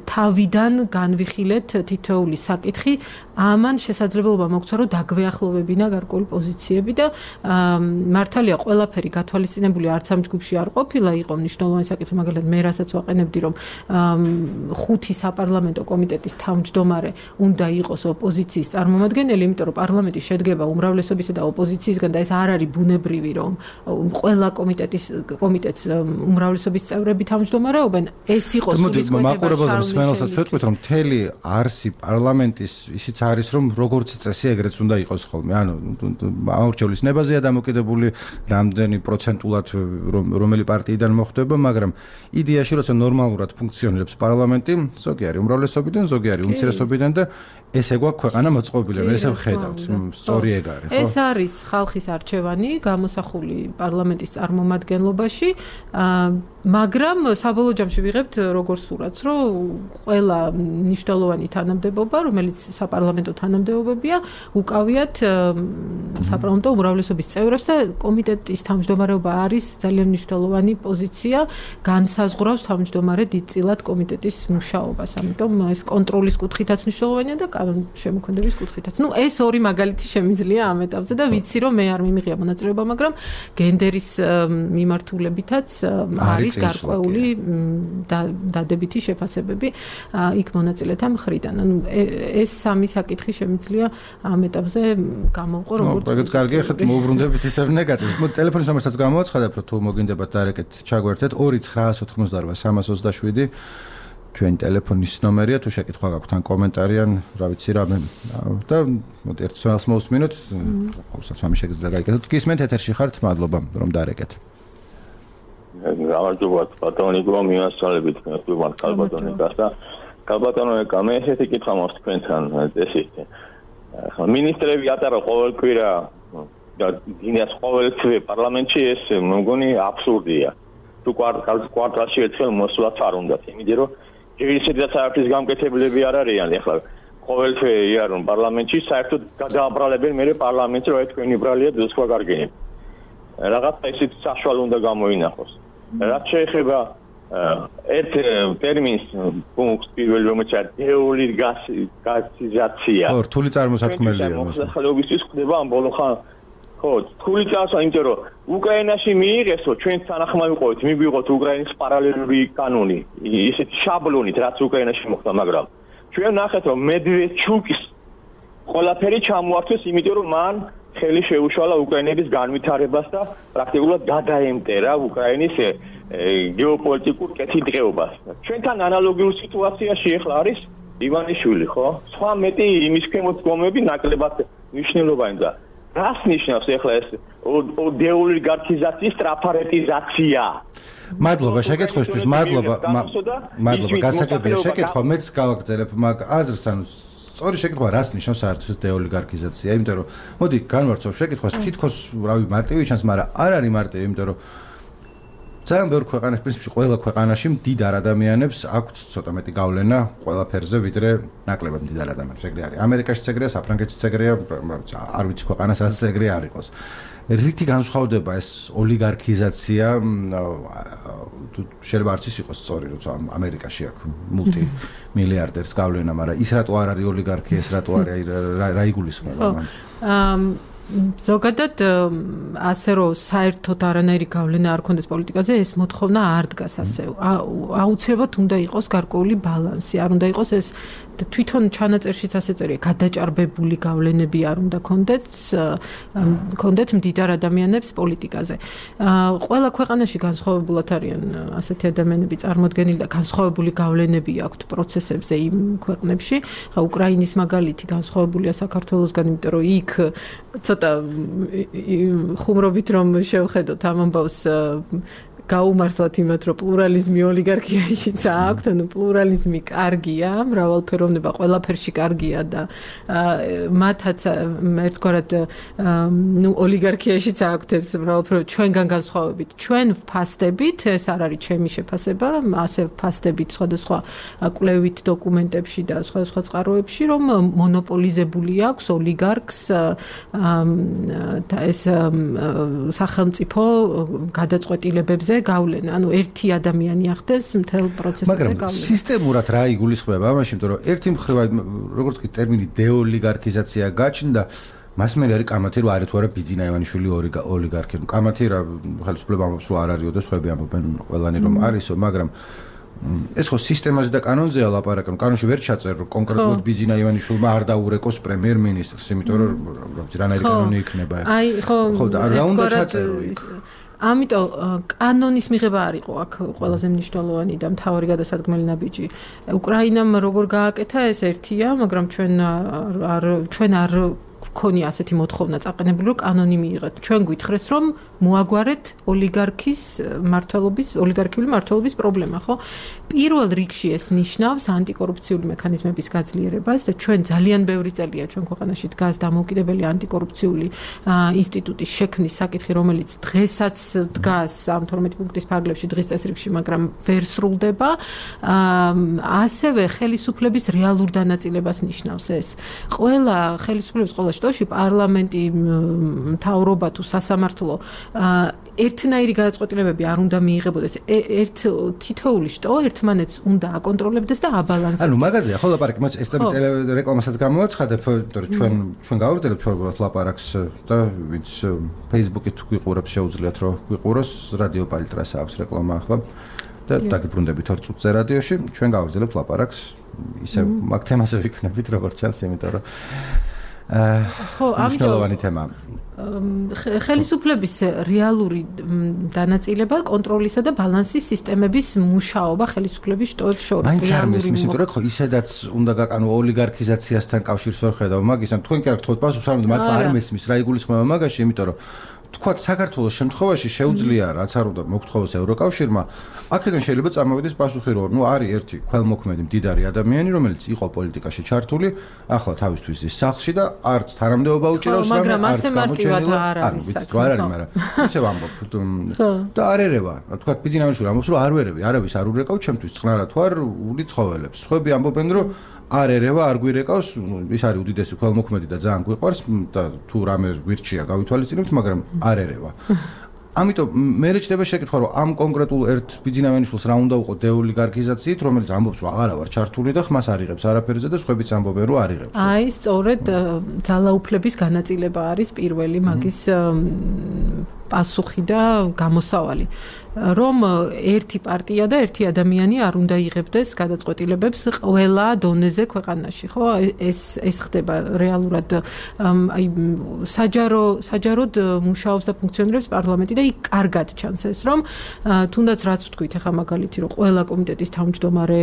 თავიდან განვიხილეთ თითოეული საკითხი, ამან შესაძლებლობა მოგცვა, რომ დაგვეახლოვებინა გარკვეული პოზიციები და მართალია ყველაფერი გათვალისწინებული არც ამ ჯგუფში არ ყოფილა, იყო მნიშვნელოვანი საკითხი, მაგალითად მე რასაც ვაყენებდი, რომ 5 საპარლამენტო კომიტეტის თავმჯდომარე უნდა იყოს ოპოზიციის წარმომადგენელი, იმიტომ რომ პარლამენტი შედგება უმრავლესობისა და ოპოზიციისგან და ეს არ არის ბუნებრივი, რომ ყველა კომიტეტს უმრავლესობის წევრები თავმჯდომარეობენ, ეს იყო სულის მაყურებელს მსმენელსაც ვეთქვით, რომ მთელი არსი პარლამენტის ისიც არის, რომ როგორც წესი ეგრეც უნდა იყოს ხოლმე. ამორჩევლის ნებაზეა დამოკიდებული, რამდენი პროცენტულად რომელი პარტიიდან მოხდება, მაგრამ იდეაში როცა ნორმალურად ფუნქციონირებს პარლამენტი, ზოგი არის უმრავლესობიდან, ზოგი არის უმცირესობიდან და ესე გვაქვს ქვეყანა მოწყობილი, ესე ვხედავთ, სწორი ეგ არის, ხო? ეს არის ხალხის არჩევანი, გამოსახული პარლამენტის წარმომადგენლობაში, მაგრამ საბოლოო ჯამში ვიღებთ როგორ სურათს, რომ ყველა მნიშვნელოვანი თანამდებობა, რომელიც საპარლამენტო თანამდებობებია, უკავიათ საპარლამენტო უმრავლესობის წევრებს და კომიტეტის თავმჯდომარეობა არის ძალიან მნიშვნელოვანი პოზიცია, განსაზღვრავს თავმჯდომარე დიდწილად კომიტეტის მუშაობას. ამიტომ ეს კონტროლის კუთხითაც მნიშვნელოვანია და შემოქმედების კუთხითაც. ეს ორი მაგალითი შემიძლია ამ ეტაპზე და ვიცი, რომ მე არ მიმიღია მონაწილეობა, მაგრამ გენდერის მიმართულებითაც არის გარკვეული დადებითი შეფასებები იქ მონაწილეთა მხრიდან. ეს სამი საკითხი შემიძლია ამ ეტაპზე გამოვყო როგორც ეგეც კარგი, ახლა მოუბრუნდებით ისევ ნეგატივს. ტელეფონის ნომერსაც გამოაცხადებ, რომ თუ მოგინდებათ დარეკეთ ჩაგვერთეთ 2988327 ჩვენი ტელეფონის ნომერია, თუ შეკითხვა გაქვთ ან კომენტარი ან რა ვიცი რამე და ერთ თვალს მოусმინოთ, ყოველსაც ამის შეგიძლია გაიგეთოთ. გისმენთ ეთერში ხართ, მადლობა რომ დარეკეთ. გამარჯობა ბატონიკო, მიასწავლებით თქვენ ქალბატონიკას და ქალბატონო ეკა მე ესეთი კითხვა მაქვს თქვენთან წესით. ახლა მინისტრები ატარა ყოველ კვირა და დინას ყოველ თვე პარლამენტში, ეს მგონი აბსურდია. თუ კვარტალში ერთხელ მოსვლაც არ უნდათ, იმიტომ რომ ჯერისედაც არაფრის გამკეთებლები არ არიან. ახლა ყოველ თვე იარონ პარლამენტში, საერთოდ გადააბრალებენ მე პარლამენტს, რომ თქვენი ბრალია ძოსვა გარგენებ. რაღაცა ისეთი საშუალო უნდა გამოინახოს. რაც შეეხება ერთ ტერმინს პუნქტს პირველ რომელიც არის დეული გასიზაცია. ხო, რთული წარმოსათქმელია. მოსახლეობისთვის ხდება ამ ბოლო ხან ხო, რთული წასა, იმიტომ რომ უკრაინაში მიიღესო, ჩვენ თანახმად ვიყავით, მიგვიღოთ უკრაინის პარალელური კანონი, ისეთი შაბლონით, რაც უკრაინაში მოხდა, მაგრამ ჩვენ ნახეთ, რომ მედვედჩუკის ყველაფერი ჩამოართვეს, იმიტომ რომ მან ხელი შეუშალა უკრაინების განვითარებას და პრაქტიკულად გადაემტერა უკრაინის გეოპოლიტიკურ კეთილდღეობას. ჩვენთან ანალოგიურ სიტუაციაში ახლა არის ივანიშვილი, ხო? სხვა მეტი იმის ქვემოთ დგომები ნაკლებად მნიშვნელოვანი და რას ნიშნავს ახლა ეს დეოლიგარქიზაციის ტრაფარეტიზაცია? მადლობა შეკითხვისთვის, მადლობა გასაგებია შეკითხვა, მეც გავაგრძელებ მაგ აზრს, ანუ სწორი შეკითხვა რას ნიშნავს საერთოდ დეოლიგარქიზაცია, იმიტომ რომ მოდი განვარცხავ შეკითხვას, თითქოს რავი მარტივი ჩანს, მაგრამ არ არის მარტივი, იმიტომ რომ ძალიან ბევრ ქვეყანაში, პრინციპში ყველა ქვეყანაში მდიდარ ადამიანებს აქვთ ცოტა მეტი გავლენა ყველაფერზე, ვიდრე ნაკლებად მდიდარ ადამიანებს. ეგრე არის. ამერიკაშიც ეგრეა, საფრანგეთშიც ეგრეა, არ ვიცი ქვეყანას რაც ეგრე არ იყოს. რითი განსხვავდება ეს ოლიგარქიზაცია? შეიძლება არც ის იყოს სწორი, როცა ამერიკაში აქვს მულტი მილიარდერს გავლენა, მაგრამ ის რატო არ არის ოლიგარქია, ეს რატო არის რა იგულისხმება მან? ზოგადად ასე რომ საერთოდ არანაირი გავლენა არ ქონდეს პოლიტიკაზე, ეს მოთხოვნა არ დგას ასე. აუცილებლად უნდა იყოს გარკვეული ბალანსი, არ უნდა იყოს ეს თვითონ ჩანაწერშიც ასე წერია, გადაჭარბებული გავლენები არ უნდა ქონდეთ მდიდარ ადამიანებს პოლიტიკაზე. ყველა ქვეყანაში განსხვავებულად არიან ასეთი ადამიანები წარმოდგენილი და განსხვავებული გავლენები აქვთ პროცესებზე იმ ქვეყნებში. უკრაინის მაგალითი განსხვავებულია საქართველოსგან, იმიტომ რომ იქ ცოტა ხუმრობით რომ შევხედოთ ამ ამბავს გაუმართლად იმათ, რომ პლურალიზმი ოლიგარქიაშიც აქვთ, ანუ პლურალიზმი კარგია, მრავალფეროვნება ყველაფერში კარგია და მათაც ერთგვარად ოლიგარქიაშიც აქვთ ეს მრავალფეროვნება ჩვენგან განსხვავებით. ჩვენ ვფასდებით, ეს არ არის ჩემი შეფასება, ასე ვფასდებით სხვადასხვა კვლევით დოკუმენტებში და სხვადასხვა წყაროებში, რომ მონოპოლიზებული აქვს ოლიგარქს ეს სახელმწიფო გადაწყვეტილებებზე გავლენა, ანუ ერთი ადამიანი ახდენს მთელ პროცესზე გავლენა. მაგრამ სისტემურად რა იგულისხმება ამაში, იმიტომ რომ ერთი მხრივ როგორც კი ტერმინი დეოლიგარქიზაცია გაჩნდა, მას მე არის კამათი რომ არის თუ არა ბიძინა ივანიშვილი ოლიგარქი. კამათი რა ხელისუფლება ამბობს რომ არ არისო და სხვები ამბობენ ყველანი რომ არისო, მაგრამ ეს ხო სისტემაზე და კანონზეა ლაპარაკი. კანონში ვერ ჩაწერს რომ კონკრეტულად ბიძინა ივანიშვილმა არ დაურეკოს პრემიერ-მინისტრს, იმიტომ რომ რანაირი კანონი იქნება. აი ხო და რა უნდა ჩაწერო იქ? ამიტომ კანონის მიღება არ იყო აქ ყველაზე მნიშვნელოვანი და მთავარი გადასადგმელი ნაბიჯი. უკრაინამ როგორ გააკეთა ეს ერთია, მაგრამ ჩვენ არ გქონია ასეთი მოთხოვნა წაყენებული, რომ კანონი მიიღეთ. ჩვენ გვითხრეს, რომ მოაგვარეთ ოლიგარქიული მმართველობის პრობლემა, ხო? პირველ რიგში ეს ნიშნავს ანტიკორუფციული მექანიზმების გაძლიერებას და ჩვენ ძალიან ბევრი წელია ჩვენ ქვეყანაში დგას დამოუკიდებელი ანტიკორუფციული ინსტიტუტის შექმნის საკითხი, რომელიც დღესაც დგას ამ 12 პუნქტის ფარგლებში დღის წესრიგში, მაგრამ ვერ სრულდება. ასევე ხელისუფლების რეალურ დანაწილებას ნიშნავს ეს. ყველა ხელისუფლების ყველა შტოში პარლამენტი, მთავრობა თუ სასამართლო ერთნაირი გადაწყვეტილებები არ უნდა მიიღებოდეს. თითოეული შტო ერთმანეთს უნდა აკონტროლებდეს და აბალანსებდეს. ანუ მაგაზია ხო ლაპარაკი, მოც ეს წამი რეკლამასაც გამოაცხადებ, იმიტომ რომ ჩვენ გავაგრძელებთ ჩვენ ლაპარაკს და ვინც Facebook-ით გვიყურებს შეუძლიათ რომ გვიყუროს, რადიო პალიტრას აქვს რეკლამა ახლა და დაგიბრუნდებით 2 წუთზე რადიოში, ჩვენ გავაგრძელებთ ლაპარაკს, ისე მაგ თემაზე ვიქნებით როგორც ჩანს, იმიტომ რომ ხო, მნიშვნელოვანი თემა. ხელისუფლების რეალური დანაწილება, კონტროლისა და ბალანსის სისტემების მუშაობა ხელისუფლების შტოებს შორის. მაინც არ მესმის, იმიტომ რომ ხო ისედაც უნდა გაკანო ოლიგარქიზაციასთან კავშირს ვერ ხედავ მაგის, ან თქვენ კი არ გთხოვთ პასუხს, არ მართლა არ მესმის რა იგულისხმება მაგაში, იმიტომ რომ თქვათ საქართველოს შემთხვევაში შეუძლია რაც არ უნდა მოგთხოვოს ევროკავშირმა, აქედან შეიძლება წამოვიდეს პასუხი რომ არის ერთი ქველმოქმედი მდიდარი ადამიანი, რომელიც იყო პოლიტიკაში ჩართული, ახლა თავისთვის ის სახლში და არც თანამდებობა უჭირავს, მაგრამ ასე მარტივად არ არის. ვიცით, არ არის, მაგრამ ისე ვამბობ და არ ერევა. თქვათ ბიძინავიშვილი ამბობს რომ არ ვერევი, არავის არ ურეკავ ჩემთვის წყნარად თუ არ ული ცხოველებს. სხვები ამბობენ რომ არ ერევა, არ გვირეკავს, ის არის უდიდესი ქველმოქმედი და ძალიან გვიყვარს და თუ რამე გვირჩია გავითვალისწინებთ, მაგრამ არ ერევა. ამიტომ მე რჩება შეკითხვა, რომ ამ კონკრეტულ ერთ ბიძინავიანიშვილს რა უნდა უყო დეოლიგარქიზაციით, რომელიც ამბობს, რომ აღარა ვარ ჩართული და ხმას არიღებს არაფერზე და სხვებიც ამბობენ, რომ არიღებს. აი, სწორედ ძალაუფლების განაწილება არის პირველი მაგის პასუხი და გამოსავალი. რომ ერთი პარტია და ერთი ადამიანი არ უნდა იღებდეს გადაწყვეტილებებს ყველა დონეზე ქვეყანაში, ხო? ეს ხდება რეალურად აი საჯაროდ მუშაობს და ფუნქციონირებს პარლამენტი და იქ კარგად ჩანს ეს, რომ თუნდაც რაც ვთქვით ახლა მაგალითი, რომ ყველა კომიტეტის თავმჯდომარე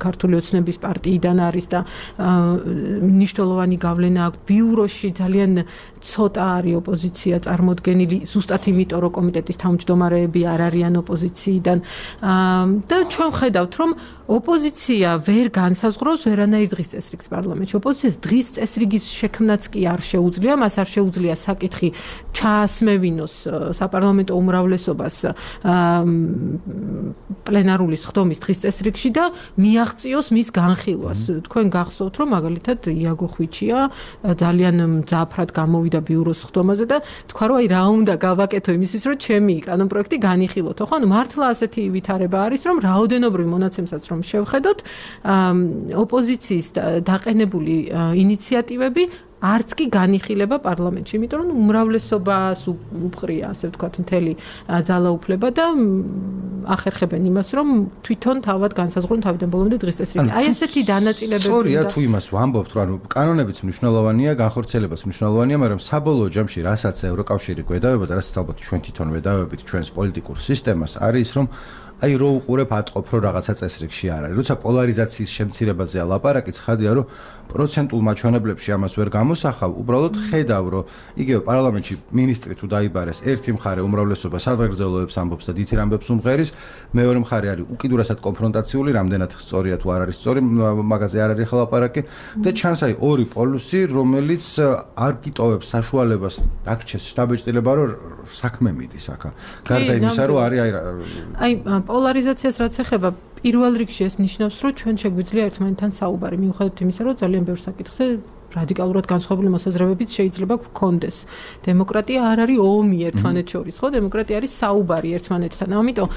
ქართული ოცნების პარტიიდან არის და მნიშვნელოვანი გავლენა აქვს ბიუროში ძალიან ცოტა არის ოპოზიცია წარმოდგენილი ზუსტად იმიტომ, რომ კომიტეტის თავმჯდომარეები არ არიან ოპოზიციიდან და ჩვენ ხედავთ, რომ ოპოზიცია ვერ განსაზღვრავს ვერანაირ დღის წესრიგს პარლამენტში. ოპოზიციას დღის წესრიგის შექმნაც კი არ შეუძლია, მას არ შეუძლია საკითხი ჩაასმევინოს საპარლამენტო უმრავლესობას პლენარული სხდომის დღის წესრიგში და მიაღწიოს მის განხილვას. თქვენ გახსოვთ, რომ მაგალითად იაგო ხვიჩია ძალიან მძაფრად გამოვიდა ბიუროს სხდომაზე და თქვა, რომ აი რა უნდა გავაკეთო იმისთვის, რომ ჩემი კანონპროექტი განიხილოთო, ხო? ანუ მართლა ასეთი ვითარება არის, რომ რაოდენობრივ მონაცემსაც რომ შევხედოთ, ოპოზიციის დაყენებული ინიციატივები არც კი განიხილება პარლამენტში, იმიტომ რომ უმრავლესობას უფხრია, ასე ვთქვათ, მთელი ძალაუფლება და ახერხებენ იმას, რომ თვითონ თავად განსაზღვრონ თავიდან ბოლომდე დღის წესრიგი. აი ესეთი დანაწილებები. სწორია თუ იმას ვამბობთ, რომ კანონებიც მნიშვნელოვანია, განხორციელებაც მნიშვნელოვანია, მაგრამ საბოლოო ჯამში რასაც ევროკავშირი გვედავება და რასაც ალბათ ჩვენ თვითონ ვედავებით ჩვენს პოლიტიკურ სისტემას, არის რომ აი რო უყურებ ატყობ რომ რაღაცა წესრიგში არ არის. როცა პოლარიზაციის შემცირებაზეა ლაპარაკი, ცხადია რომ პროცენტულ მაჩვენებლებში ამას ვერ გამოსახავ, უბრალოდ ხედავ რომ იგივე პარლამენტში მინისტრი თუ დაიბარეს, ერთი მხარე უმრავლესობა სადღეგრძელოებს ამბობს და დიდ ამბებს უმღერის, მეორე მხარე არის უკიდურესად კონფრონტაციული, რამდენად სწორია თუ არ არის სწორი, მაგაზე არ არის ლაპარაკი და ჩანს აი ორი პოლუსი, რომელიც არ გიტოვებს საშუალებას აქჩეს შტაბეჭდილება რომ საქმე მიდის აქა. გარდა იმისა რომ არის აი პოლარიზაციას რაც ეხება პირველ რიგში ეს ნიშნავს, რომ ჩვენ შეგვიძლია ერთმანეთთან საუბარი, მიუხედავად იმისა, რომ ძალიან ბევრ საკითხზე რადიკალურად განსხვავებული მოსაზრებებიც შეიძლება გქონდეს. დემოკრატია არ არის ომი ერთმანეთს შორის, ხო? დემოკრატია არის საუბარი ერთმანეთთან. ამიტომ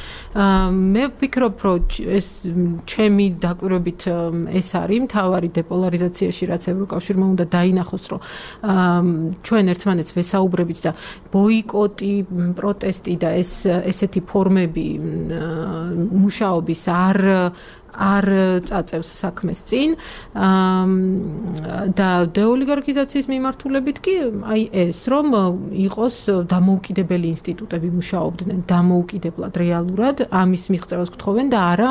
მე ვფიქრობ, რომ ეს ჩემი დაკვირვებით ეს არის მთავარი დეპოლარიზაციაში, რაც ევროკავშირმა უნდა დაინახოს, რომ ჩვენ ერთმანეთს ვესაუბრებით და ბოიკოტი, პროტესტი და ესეთი ფორმები მუშაობის არ წაწევს საქმეს წინ და დეოლიგარქიზაციის მიმართულებით კი აი ეს რომ იყოს დამოუკიდებელი ინსტიტუტები მუშაობდნენ დამოუკიდებლად რეალურად ამის მიღწევას გთხოვენ და არა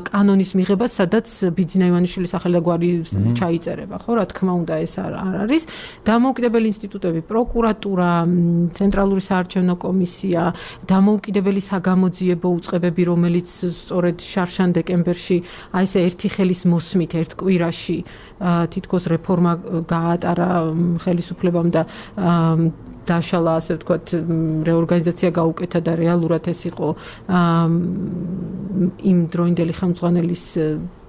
კანონის მიღებას სადაც ბიძინა ივანიშვილის სახელი და გვარი ჩაიწერება ხო რა თქმა უნდა ეს არ არის დამოუკიდებელი ინსტიტუტები პროკურატურა ცენტრალური საარჩევნო კომისია დამოუკიდებელი საგამოძიებო უწყებები რომელიც სწორედ შარშან დეკემბერში აი ესე ერთი ხელის მოსმით ერთ კვირაში თითქოს რეფორმა გაატარა ხელისუფლებამ და დაშალა ასე ვთქვათ რეორგანიზაცია გაუკეთა და რეალურად ეს იყო იმ დროინდელი ხელმძღვანელის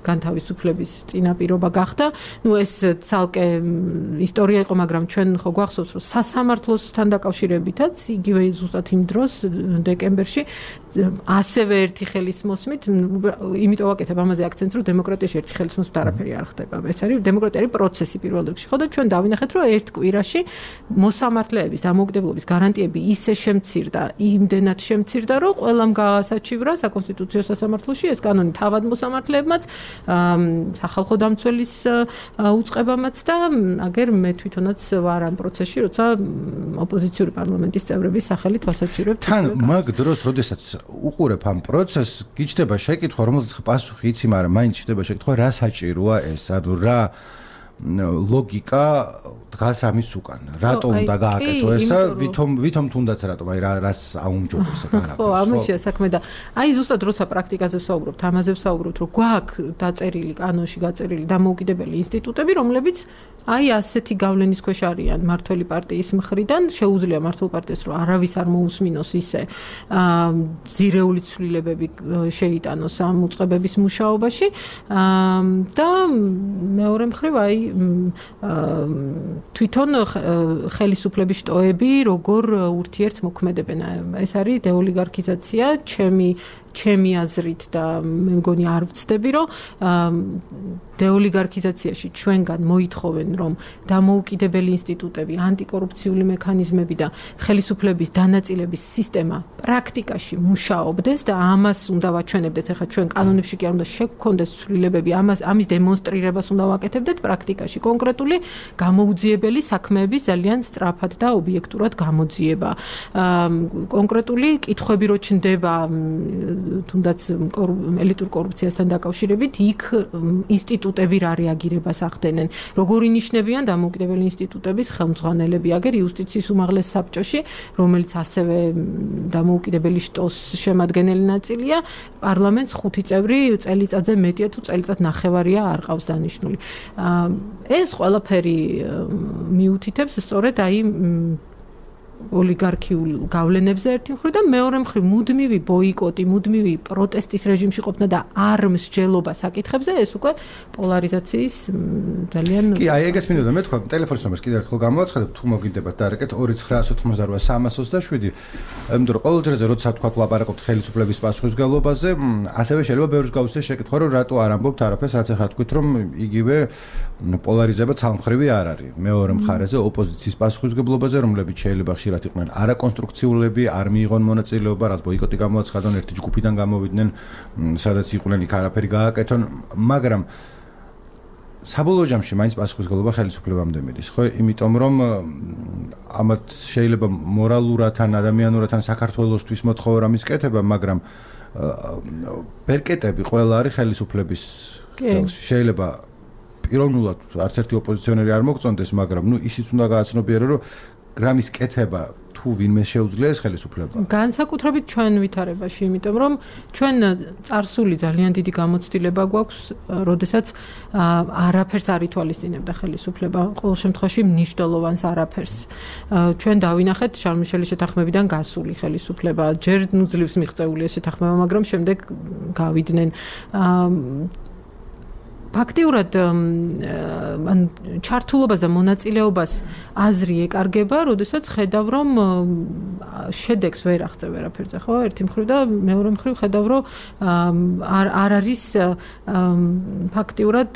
განთავისუფლების წინაპირობა გახდა. ნუ ეს ცალკე ისტორია იყო, მაგრამ ჩვენ ხო გვახსოვს, რომ სასამართლოსთან დაკავშირებითაც იგივე ზუსტად იმ დროს დეკემბერში ასევე ერთი ხელის მოსმით, იმიტომ ვაკეთებ ამაზე აქცენტს, რომ დემოკრატიაში ერთი ხელის მოსმით არაფერი არ ხდება. ეს არის დემოკრატია არის პროცესი პირველ რიგში. ხო და ჩვენ დავინახეთ, რომ ერთ კვირაში მოსამართლეების დამოუკიდებლობის გარანტიები ისე შემცირდა, იმდენად შემცირდა, რომ ყველამ გაასაჩივრა საკონსტიტუციო სასამართლოში ეს კანონი თავად მოსამართლეებმაც სახალხო დამცველის უწყებამაც და აგერ მე თვითონაც ვარ ამ პროცესში, როცა ოპოზიციური პარლამენტის წევრების სახელით ვასაჩივრებ. თან მაგ დროს, როდესაც უყურებ ამ პროცესს, გიჩნდება შეკითხვა, რომელზეც პასუხი იცი, მაგრამ მაინც ჩნდება შეკითხვა, რა საჭიროა ეს, ანუ რა ლოგიკა დგას ამის უკან. რატომ უნდა გააკეთო ესა? ვითომ თუნდაც რატომ? აი რას აუმჯობესა რაღაცა. ხო, ამაშია საქმე და აი ზუსტად როცა პრაქტიკაზე ვსაუბრობთ, ამაზე ვსაუბრობთ, რომ გვაქვს დაწერილი კანონში გაწერილი დამოუკიდებელი ინსტიტუტები, რომლებიც აი ასეთი გავლენის ქვეშ არიან მართველი პარტიის მხრიდან, შეუძლია მართულ პარტიას რომ არავის არ მოусმინოს ისე ზირეული ცვლილებები შეიტანოს ამ უწყებების მუშაობაში და მეორე მხრივ აი თვითონ ხელისუფლების შტოები როგორ ურთიერთმოქმედებენ. ეს არის დეოლიგარქიზაცია, ჩემი ჩემი აზრით და მე მგონი არ ვცდები, რომ დეოლიგარქიზაციაში ჩვენგან მოითხოვენ, რომ დამოუკიდებელი ინსტიტუტები, ანტიკორუფციული მექანიზმები და ხელისუფლების დანაწილების სისტემა პრაქტიკაში მუშაობდეს და ამას უნდა ვაჩვენებდეთ. ეხლა ჩვენ კანონებში კი არ უნდა შეგვქონდეს ცვლილებები, ამის დემონსტრირებას უნდა ვაკეთებდეთ პრაქტიკაში. კონკრეტული გამოუძიებელი საქმეების ძალიან სწრაფად და ობიექტურად გამოძიება. კონკრეტული კითხვები რო ჩნდება თუნდაც ელიტურ კორუფციასთან დაკავშირებით, იქ ინსტიტუტები რა რეაგირებას ახდენენ. როგორი ნიშნებიან დამოუკიდებელი ინსტიტუტების ხელმძღვანელები, აგერ იუსტიციის უმაღლეს საბჭოში, რომელიც ასევე დამოუკიდებელი შტოს შემადგენელი ნაწილია, პარლამენტს 5 წევრი წელიწადზე მეტია თუ წელიწად ნახევარია არ ყავს დანიშნული. ეს ყველაფერი მიუთითებს სწორედ აი ოლიგარქიულ გავლენებზე ერთი მხრივ და მეორე მხრივ მუდმივი ბოიკოტი, მუდმივი პროტესტის რეჟიმში ყოფნა და არ მსჯელობა საკითხებზე ეს უკვე პოლარიზაციის ძალიან კი, აი ეგეც მინდოდა მე თქვა, ტელეფონის ნომერს კიდევ ერთხელ გამოვაცხადებ, თუ მოგინდებათ დარეკეთ 2988-328-327, იმიტომ რომ ყოველ ჯერზე როცა თქვა ვლაპარაკობთ ხელისუფლების პასუხისმგებლობაზე, ასევე შეიძლება ბევრს გაუჩნდეს შეკითხვა, რომ რატო არ ამბობთ არაფერს, რაც ახლა თქვით, რომ იგივე პოლარიზება ცალმხრივი არ არის. მეორე მხარეზე ოპოზიციის პასუხისმგებლობაზე, რომლებიც შეიძლება ხშირად იყვნენ არაკონსტრუქციულები, არ მიიღონ მონაწილეობა, რაც ბოიკოტი გამოაცხადონ, ერთი ჯგუფიდან გამოვიდნენ, სადაც იყვნენ იქ არაფერი გააკეთონ, მაგრამ საბოლოო ჯამში მაინც პასუხისმგებლობა ხელისუფლებამდე მიდის, ხო? იმიტომ რომ ამათ შეიძლება მორალურად ან ადამიანურად ან საქართველოსთვის მოთხოვა მისკეთება, მაგრამ ბერკეტები ყველა არის ხელისუფლების ხელში. შეიძლება პიროვნულად არც ერთი ოპოზიციონერი არ მოგწონდეს, მაგრამ ისიც უნდა გააცნობიერო, რომ გრამის კეთება თუ ვინმე შეუძლია ეს ხელისუფლება. განსაკუთრებით ჩვენ ვითარებაში, იმიტომ რომ ჩვენ წარსული ძალიან დიდი გამოცდილება გვაქვს, როდესაც არაფერს არ ითვალისწინებდა ხელისუფლება, ყოველ შემთხვევაში მნიშვნელოვანს არაფერს. ჩვენ დავინახეთ შარლ-მიშელის შეთანხმებიდან გასული ხელისუფლება, ჯერ ძლივს მიღწეული ეს შეთანხმება, მაგრამ შემდეგ გავიდნენ ფაქტიურად ჩართულობას და მონაწილეობას აზრი ეკარგება, როდესაც ხედავ, რომ შედეგს ვერ აღწევ ვერაფერზე, ხო? ერთი მხრივ და მეორე მხრივ ხედავ, რომ არ არის ფაქტიურად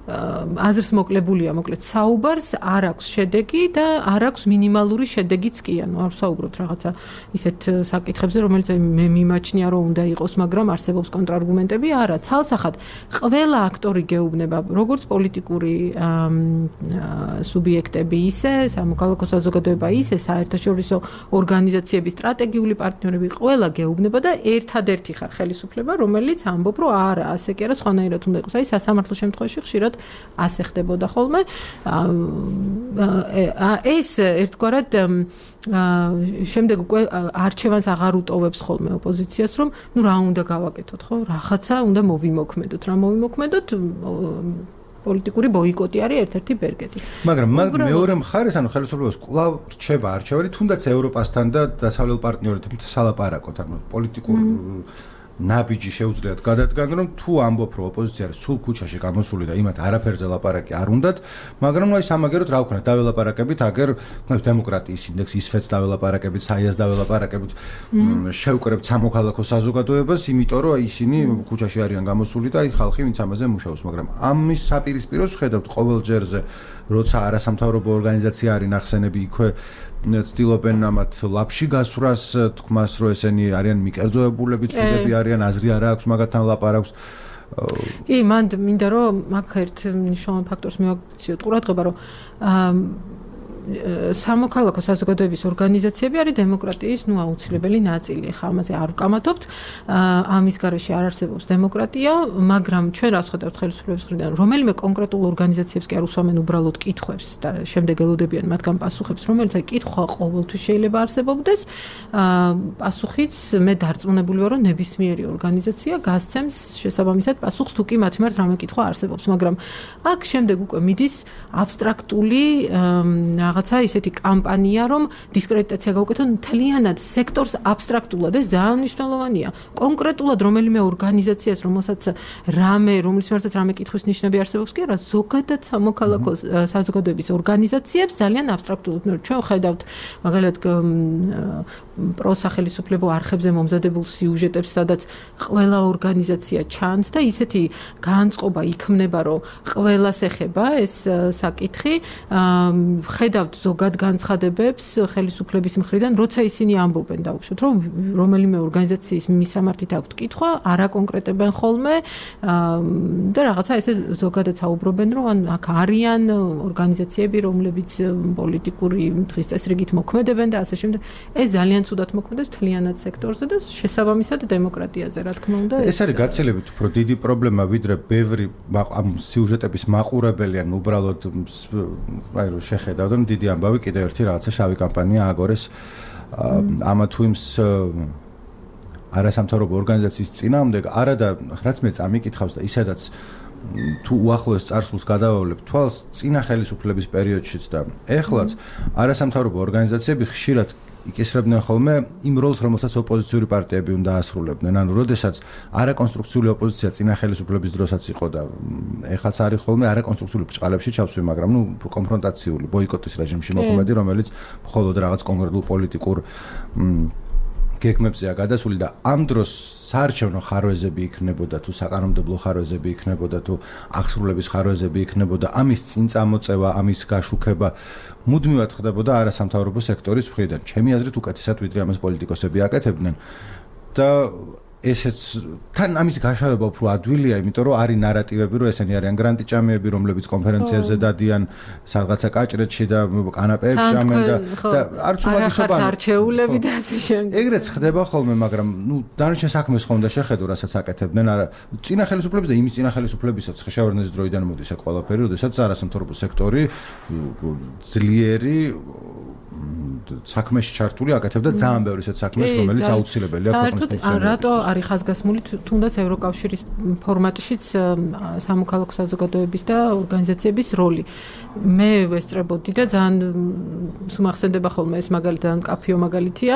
აზრს მოკლებულია, მოკლედ საუბარს არ აქვს შედეგი და არ აქვს მინიმალური შედეგიც კი, ანუ არ საუბრობთ რაღაცა ისეთ საკითხებზე, რომელიც მე მიმაჩნია, რომ უნდა იყოს, მაგრამ არსებობს კონტრარგუმენტები, არა, ცალსახად ყველა აქტორი გეუბნება, როგორც პოლიტიკური სუბიექტები, ისე სამოქალაქო საზოგადოება, ისე საერთაშორისო ორგანიზაციების სტრატეგიული პარტნიორები, ყველა გეუბნება და ერთადერთი ხარ ხელისუფლება, რომელიც ამბობ, რომ არა, ასე კი არა, სხვანაირად უნდა იყოს. აი სასამართლო შემთხვევაში ხშირად ასე ხდებოდა ხოლმე. ეს ერთგვარად შემდეგ უკვე არჩევანს აღარ უტოვებს ხოლმე ოპოზიციას, რომ ნუ რა უნდა გავაკეთოთ, ხო? რაღაცა უნდა მოვიმოქმედოთ, რა მოვიმოქმედოთ? პოლიტიკური ბოიკოტი არის ერთ-ერთი ბერკეტი. მაგრამ მეორე მხარეს, ანუ ხელისუფლებას კვლავ რჩება არჩევანი, თუნდაც ევროპასთან და დასავლელ პარტნიორებთან სალაპარაკოთ, ანუ პოლიტიკურ ნაბიჯი შეუძლიათ გადადგან, რომ თუ ამბობ, რომ ოპოზიცია არის სულ ქუჩაში გამოსული და იმათ არაფერზე ლაპარაკი არ უნდათ, მაგრამ აი სამაგეროთ რა ვქნათ, დაველაპარაკებით, აგერ დემოკრატიის ინდექსი ისფეთს დაველაპარაკებით, საიას დაველაპარაკებით, შევკრებთ სამოქალაქო საზოგადოებას, იმიტომ რომ აი ისინი ქუჩაში არიან გამოსული და აი ხალხი ვინც ამაზე მუშაობს, მაგრამ ამის საპირისპიროს ხედავთ ყოველ ჯერზე, როცა არასამთავრობო ორგანიზაცია არის ნახსენები იქვე ცდილობენ ამათ ლაფში გასვრას, თქმას, რომ ესენი არიან მიკერძოებულები, ცუდები არიან, აზრი არ აქვს მაგათთან ლაპარაკს. კი, მან მინდა რომ მაგ ერთ მნიშვნელოვან ფაქტორს მივაქციოთ ყურადღება, რომ სამოქალაქო საზოგადოების ორგანიზაციები არის დემოკრატიის აუცილებელი ნაწილი. ხა ამაზე არ ვკამათობთ. ამის გარეშე არ არსებობს დემოკრატია, მაგრამ ჩვენ რაც ხედავთ ხელისუფლების მხრიდან, რომელიმე კონკრეტულ ორგანიზაციებს კი არ უსვამენ უბრალოდ კითხვებს და შემდეგ ელოდებიან მათგან პასუხებს, რომელიც აი კითხვა ყოველთვის შეიძლება არსებობდეს. პასუხიც მე დარწმუნებული ვარ, რომ ნებისმიერი ორგანიზაცია გასცემს შესაბამისად პასუხს, თუ კი მათ მიმართ რამე კითხვა არსებობს, მაგრამ აქ შემდეგ უკვე მიდის აბსტრაქტული რაღაცა ისეთი კამპანია, რომ დისკრედიტაცია გავუკეთონ მთლიანად სექტორს აბსტრაქტულად, ეს ძალიან მნიშვნელოვანია. კონკრეტულად რომელიმე ორგანიზაციას, რომელსაც რომლის მიმართაც რამე კითხვის ნიშნები არსებობს კი არა, ზოგადად სამოქალაქო საზოგადოების ორგანიზაციებს ძალიან აბსტრაქტულად. ჩვენ ხედავთ მაგალითად პროსახელისუფლებო არხებზე მომზადებულ სიუჟეტებს, სადაც ყველა ორგანიზაცია ჩანს და ისეთი განწყობა იქმნება, რომ ყველას ეხება ეს საკითხი. ხედავთ ზოგად განცხადებებს ხელისუფლების მხრიდან, როცა ისინი ამბობენ დავუშვათ, რომ რომელიმე ორგანიზაციის მისამართით აქვთ კითხვა, არ აკონკრეტებენ ხოლმე და რაღაცა ესე ზოგადად საუბრობენ, რომ აქ არიან ორგანიზაციები, რომლებიც პოლიტიკური დღის წესრიგით მოქმედებენ და ასე შემდეგ. ეს ძალიან ცუდად მოქმედებს მთლიანად სექტორზე და შესაბამისად დემოკრატიაზე, რა თქმა უნდა. ეს არის გაცილებით უფრო დიდი პრობლემა, ვიდრე ბევრი ამ სიუჟეტების მაყურებელი ან უბრალოდ აი რომ შეხედავდნენ დიდი ამბავი კიდევ ერთი რაღაცა შავი კამპანია ააგორეს ამა თუ იმ არასამთავრობო ორგანიზაციის წინააღმდეგ, არა და რაც მე წამიკითხავს და ისედაც თუ უახლოეს წარსულს გადავავლებ თვალს წინა ხელისუფლების პერიოდშიც და ეხლაც არასამთავრობო ორგანიზაციები ხშირად იკისრებდნენ ხოლმე იმ როლს, რომელსაც ოპოზიციური პარტიები უნდა ასრულებდნენ. ანუ როდესაც არაკონსტრუქციული ოპოზიცია წინა ხელისუფლების დროსაც იყო და ეხლაც არის ხოლმე არაკონსტრუქციული ბრჭყალებში ჩავსვი, მაგრამ კონფრონტაციული ბოიკოტის რეჟიმში მოქმედი, რომელიც მხოლოდ რაღაც კონკრეტულ პოლიტიკურ გეგმებზეა გადასული და ამ დროს საარჩევნო ხარვეზები იქნებოდა თუ საკანონმდებლო ხარვეზები იქნებოდა თუ აღსრულების ხარვეზები იქნებოდა, ამის წინ წამოწევა, ამის გაშუქება მუდმივად ხდებოდა არასამთავრობო სექტორის მხრიდან. ჩემი აზრით უკეთესად ვიდრე ამას პოლიტიკოსები აკეთებდნენ და ესეც თან ამის გაშავება უფრო ადვილია, იმიტომ რომ არის ნარატივები, რომ ესენი არიან გრანტიჭამეები, რომლებიც კონფერენციებზე დადიან სადღაცა კაჭრეთში და კანაპეებში ჭამენ და არც უმაგისობა არჩეულები და ასე შემდეგ. ეგრეც ხდება ხოლმე, მაგრამ დანარჩენ საქმეს ხომ და შეხედო, რასაც აკეთებდნენ, არა წინა ხელისუფლების და იმის წინა ხელისუფლებისაც ხეშავერნეს დროიდან მოდის აქ ყველაფერი, როდესაც არასამთავრობო სექტორი ძლიერი საქმეში ჩართული აკეთებდა ძალიან ბევრი ისეთ საქმეს, რომელიც აუცილებელია ქვეყნის ფუნქციონირებისთვის. რატო არის ხაზგასმული თუნდაც ევროკავშირის ფორმატშიც სამოქალაქო საზოგადოების და ორგანიზაციების როლი. მე ვესწრებოდი და ძალიან სუმახსენდება ხოლმე ეს მაგალითად კაფიო მაგალითია,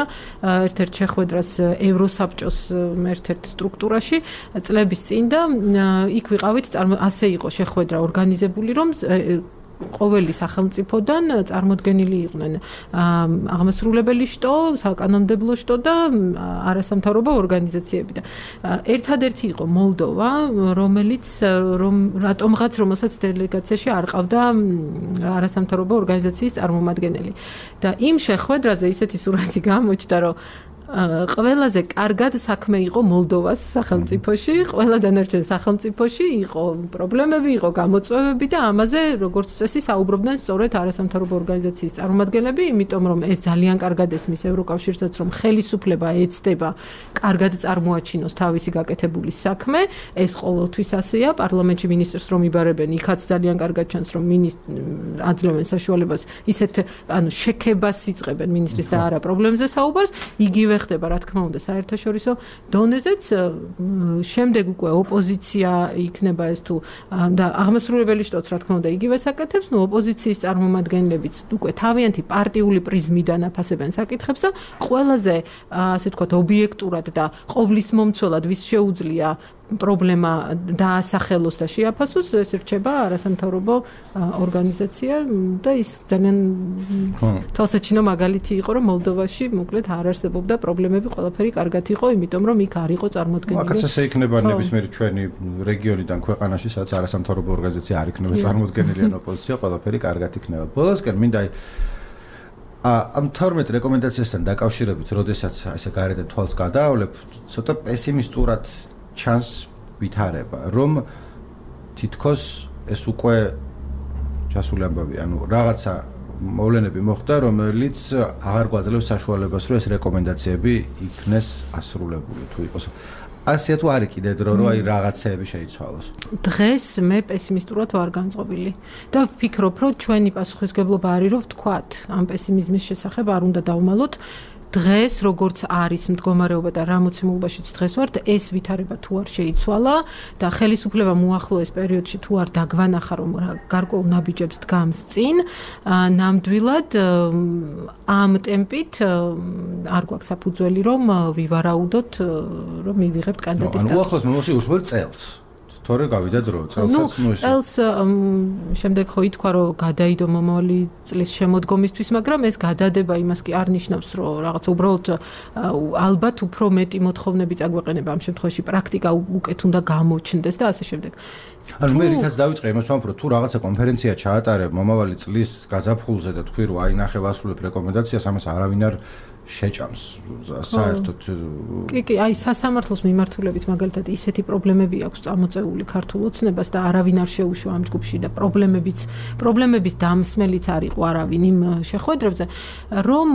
ერთ-ერთ შეხვედრას ევროსაბჭოს ერთ-ერთ სტრუქტურაში წლების წინ და იქ ვიყავით, ასე იყო შეხვედრა ორგანიზებული, რომ ყოველი სახელმწიფოდან წარმოდგენილი იყვნენ აღმასრულებელი შტო, საკანონმდებლო შტო და არასამთავრობო ორგანიზაციები და ერთადერთი იყო მოლდოვა, რომელსაც დელეგაციაში არ ყავდა არასამთავრობო ორგანიზაციის წარმომადგენელი. და იმ შეხვედრაზე ისეთი სურათი გამოჩნდა, რომ ყველაზე კარგად საქმე იყო მოლდოვას სახელმწიფოში, ყველა დანარჩენ სახელმწიფოში იყო პრობლემები, იყო გამოწვევები და ამაზე როგორც წესი საუბრობდნენ სწორედ არასამთავრობო ორგანიზაციის წარმომადგენლები, იმიტომ რომ ეს ძალიან კარგად ესმის ევროკავშირსაც, რომ ხელისუფლება ეცდება კარგად წარმოაჩინოს თავისი გაკეთებული საქმე, ეს ყოველთვის ასეა, პარლამენტში მინისტრს რომ იბარებენ, იქაც ძალიან კარგად ჩანს, რომ აძლევენ საშუალებას ისეთ შექებას იწყებენ მინისტრის და არა პრობლემებზე საუბარს, იგივე ხდება რა თქმა უნდა საერთაშორისო დონეზეც, შემდეგ უკვე ოპოზიცია იქნება ეს თუ და აღმასრულებელი შტოც რა თქმა უნდა იგივე საკეთებს, ოპოზიციის წარმომადგენლებიც უკვე თავიანთი პარტიული პრიზმიდან აფასებენ საკითხებს და ყველაზე ასე ვთქვათ ობიექტურად და ყოვლისმომცველად ვის შეუძლია პრობლემა დაასახელოს და შეაფასოს, ეს რჩება არასამთავრობო ორგანიზაცია და ის ძალიან თვალსაჩინო მაგალითი იყო, რომ მოლდოვაში მოკლედ არ არსებობდა პრობლემები, ყველაფერი კარგად იყო, იმიტომ რომ იქ არ იყო წარმოდგენილი. აქაც ესე იქნება ნებისმიერი ჩვენი რეგიონიდან ქვეყანაში, სადაც არასამთავრობო ორგანიზაცია არ იქნება წარმოდგენილი ან ოპოზიცია, ყველაფერი კარგად იქნება. ბოლოსკენ მინდა ამ 12 რეკომენდაციასთან დაკავშირებით, როდესაც ესე გარედან თვალს გადაავლებ, ცოტა პესიმისტურად ჩანს ვითარება, რომ თითქოს ეს უკვე ჩასული ამბავი, ანუ რაღაცა მოვლენები მოხდა, რომელიც აღარ გვაძლევს საშუალებას, რომ ეს რეკომენდაციები იქნეს ასრულებული თუ იყოს. ასეა თუ არის კიდე დრო, რომ აი რაღაცეები შეიცვალოს. დღეს მე პესიმისტურად ვარ განწყობილი და ვფიქრობ, რომ ჩვენი პასუხისმგებლობა არის, რომ ვთქვათ, ამ პესიმიზმის შესახებ არ უნდა დავმალოთ. დღეს როგორც არის მდგომარეობა და რა მოცემულობაშიც დღეს ვართ, ეს ვითარება თუ არ შეიცვალა და ხელისუფლებამ უახლოეს პერიოდში თუ არ დაგვანახა, რომ გარკვეულ ნაბიჯებს დგამს წინ, ნამდვილად ამ ტემპით არ გვაქვს საფუძველი, რომ ვივარაუდოთ, რომ მივიღებთ კანდიდატის სტატუსს. ანუ უახლოეს მომავალში უშუალოდ წელს. თორე გავიდა დრო, წელსაც წელს შემდეგ ხო ითქვა, რომ გადაიდო მომავალი წლის შემოდგომისთვის, მაგრამ ეს გადადება იმას კი არ ნიშნავს, რომ რაღაცა უბრალოდ ალბათ უფრო მეტი მოთხოვნები წაგვეყენება ამ შემთხვევაში პრაქტიკა უკეთ უნდა გამოჩნდეს და ასე შემდეგ. ანუ მე რითაც დავიწყე იმას ვამბობ, თუ რაღაცა კონფერენცია ჩაატარებ მომავალი წლის გაზაფხულზე და თქვი, რომ აინახე ვასრულებ რეკომენდაციას, ამას არავინ არ შეჭამს საერთოდ. კი, აი სასამართლოს მიმართულებით მაგალითად ისეთი პრობლემები აქვს წამოწეული ქართულ ოცნებას და არავინ არ შეუშვა ამ ჯგუფში და პრობლემების დამსმელიც არ იყო არავინ იმ შეხვედრებზე, რომ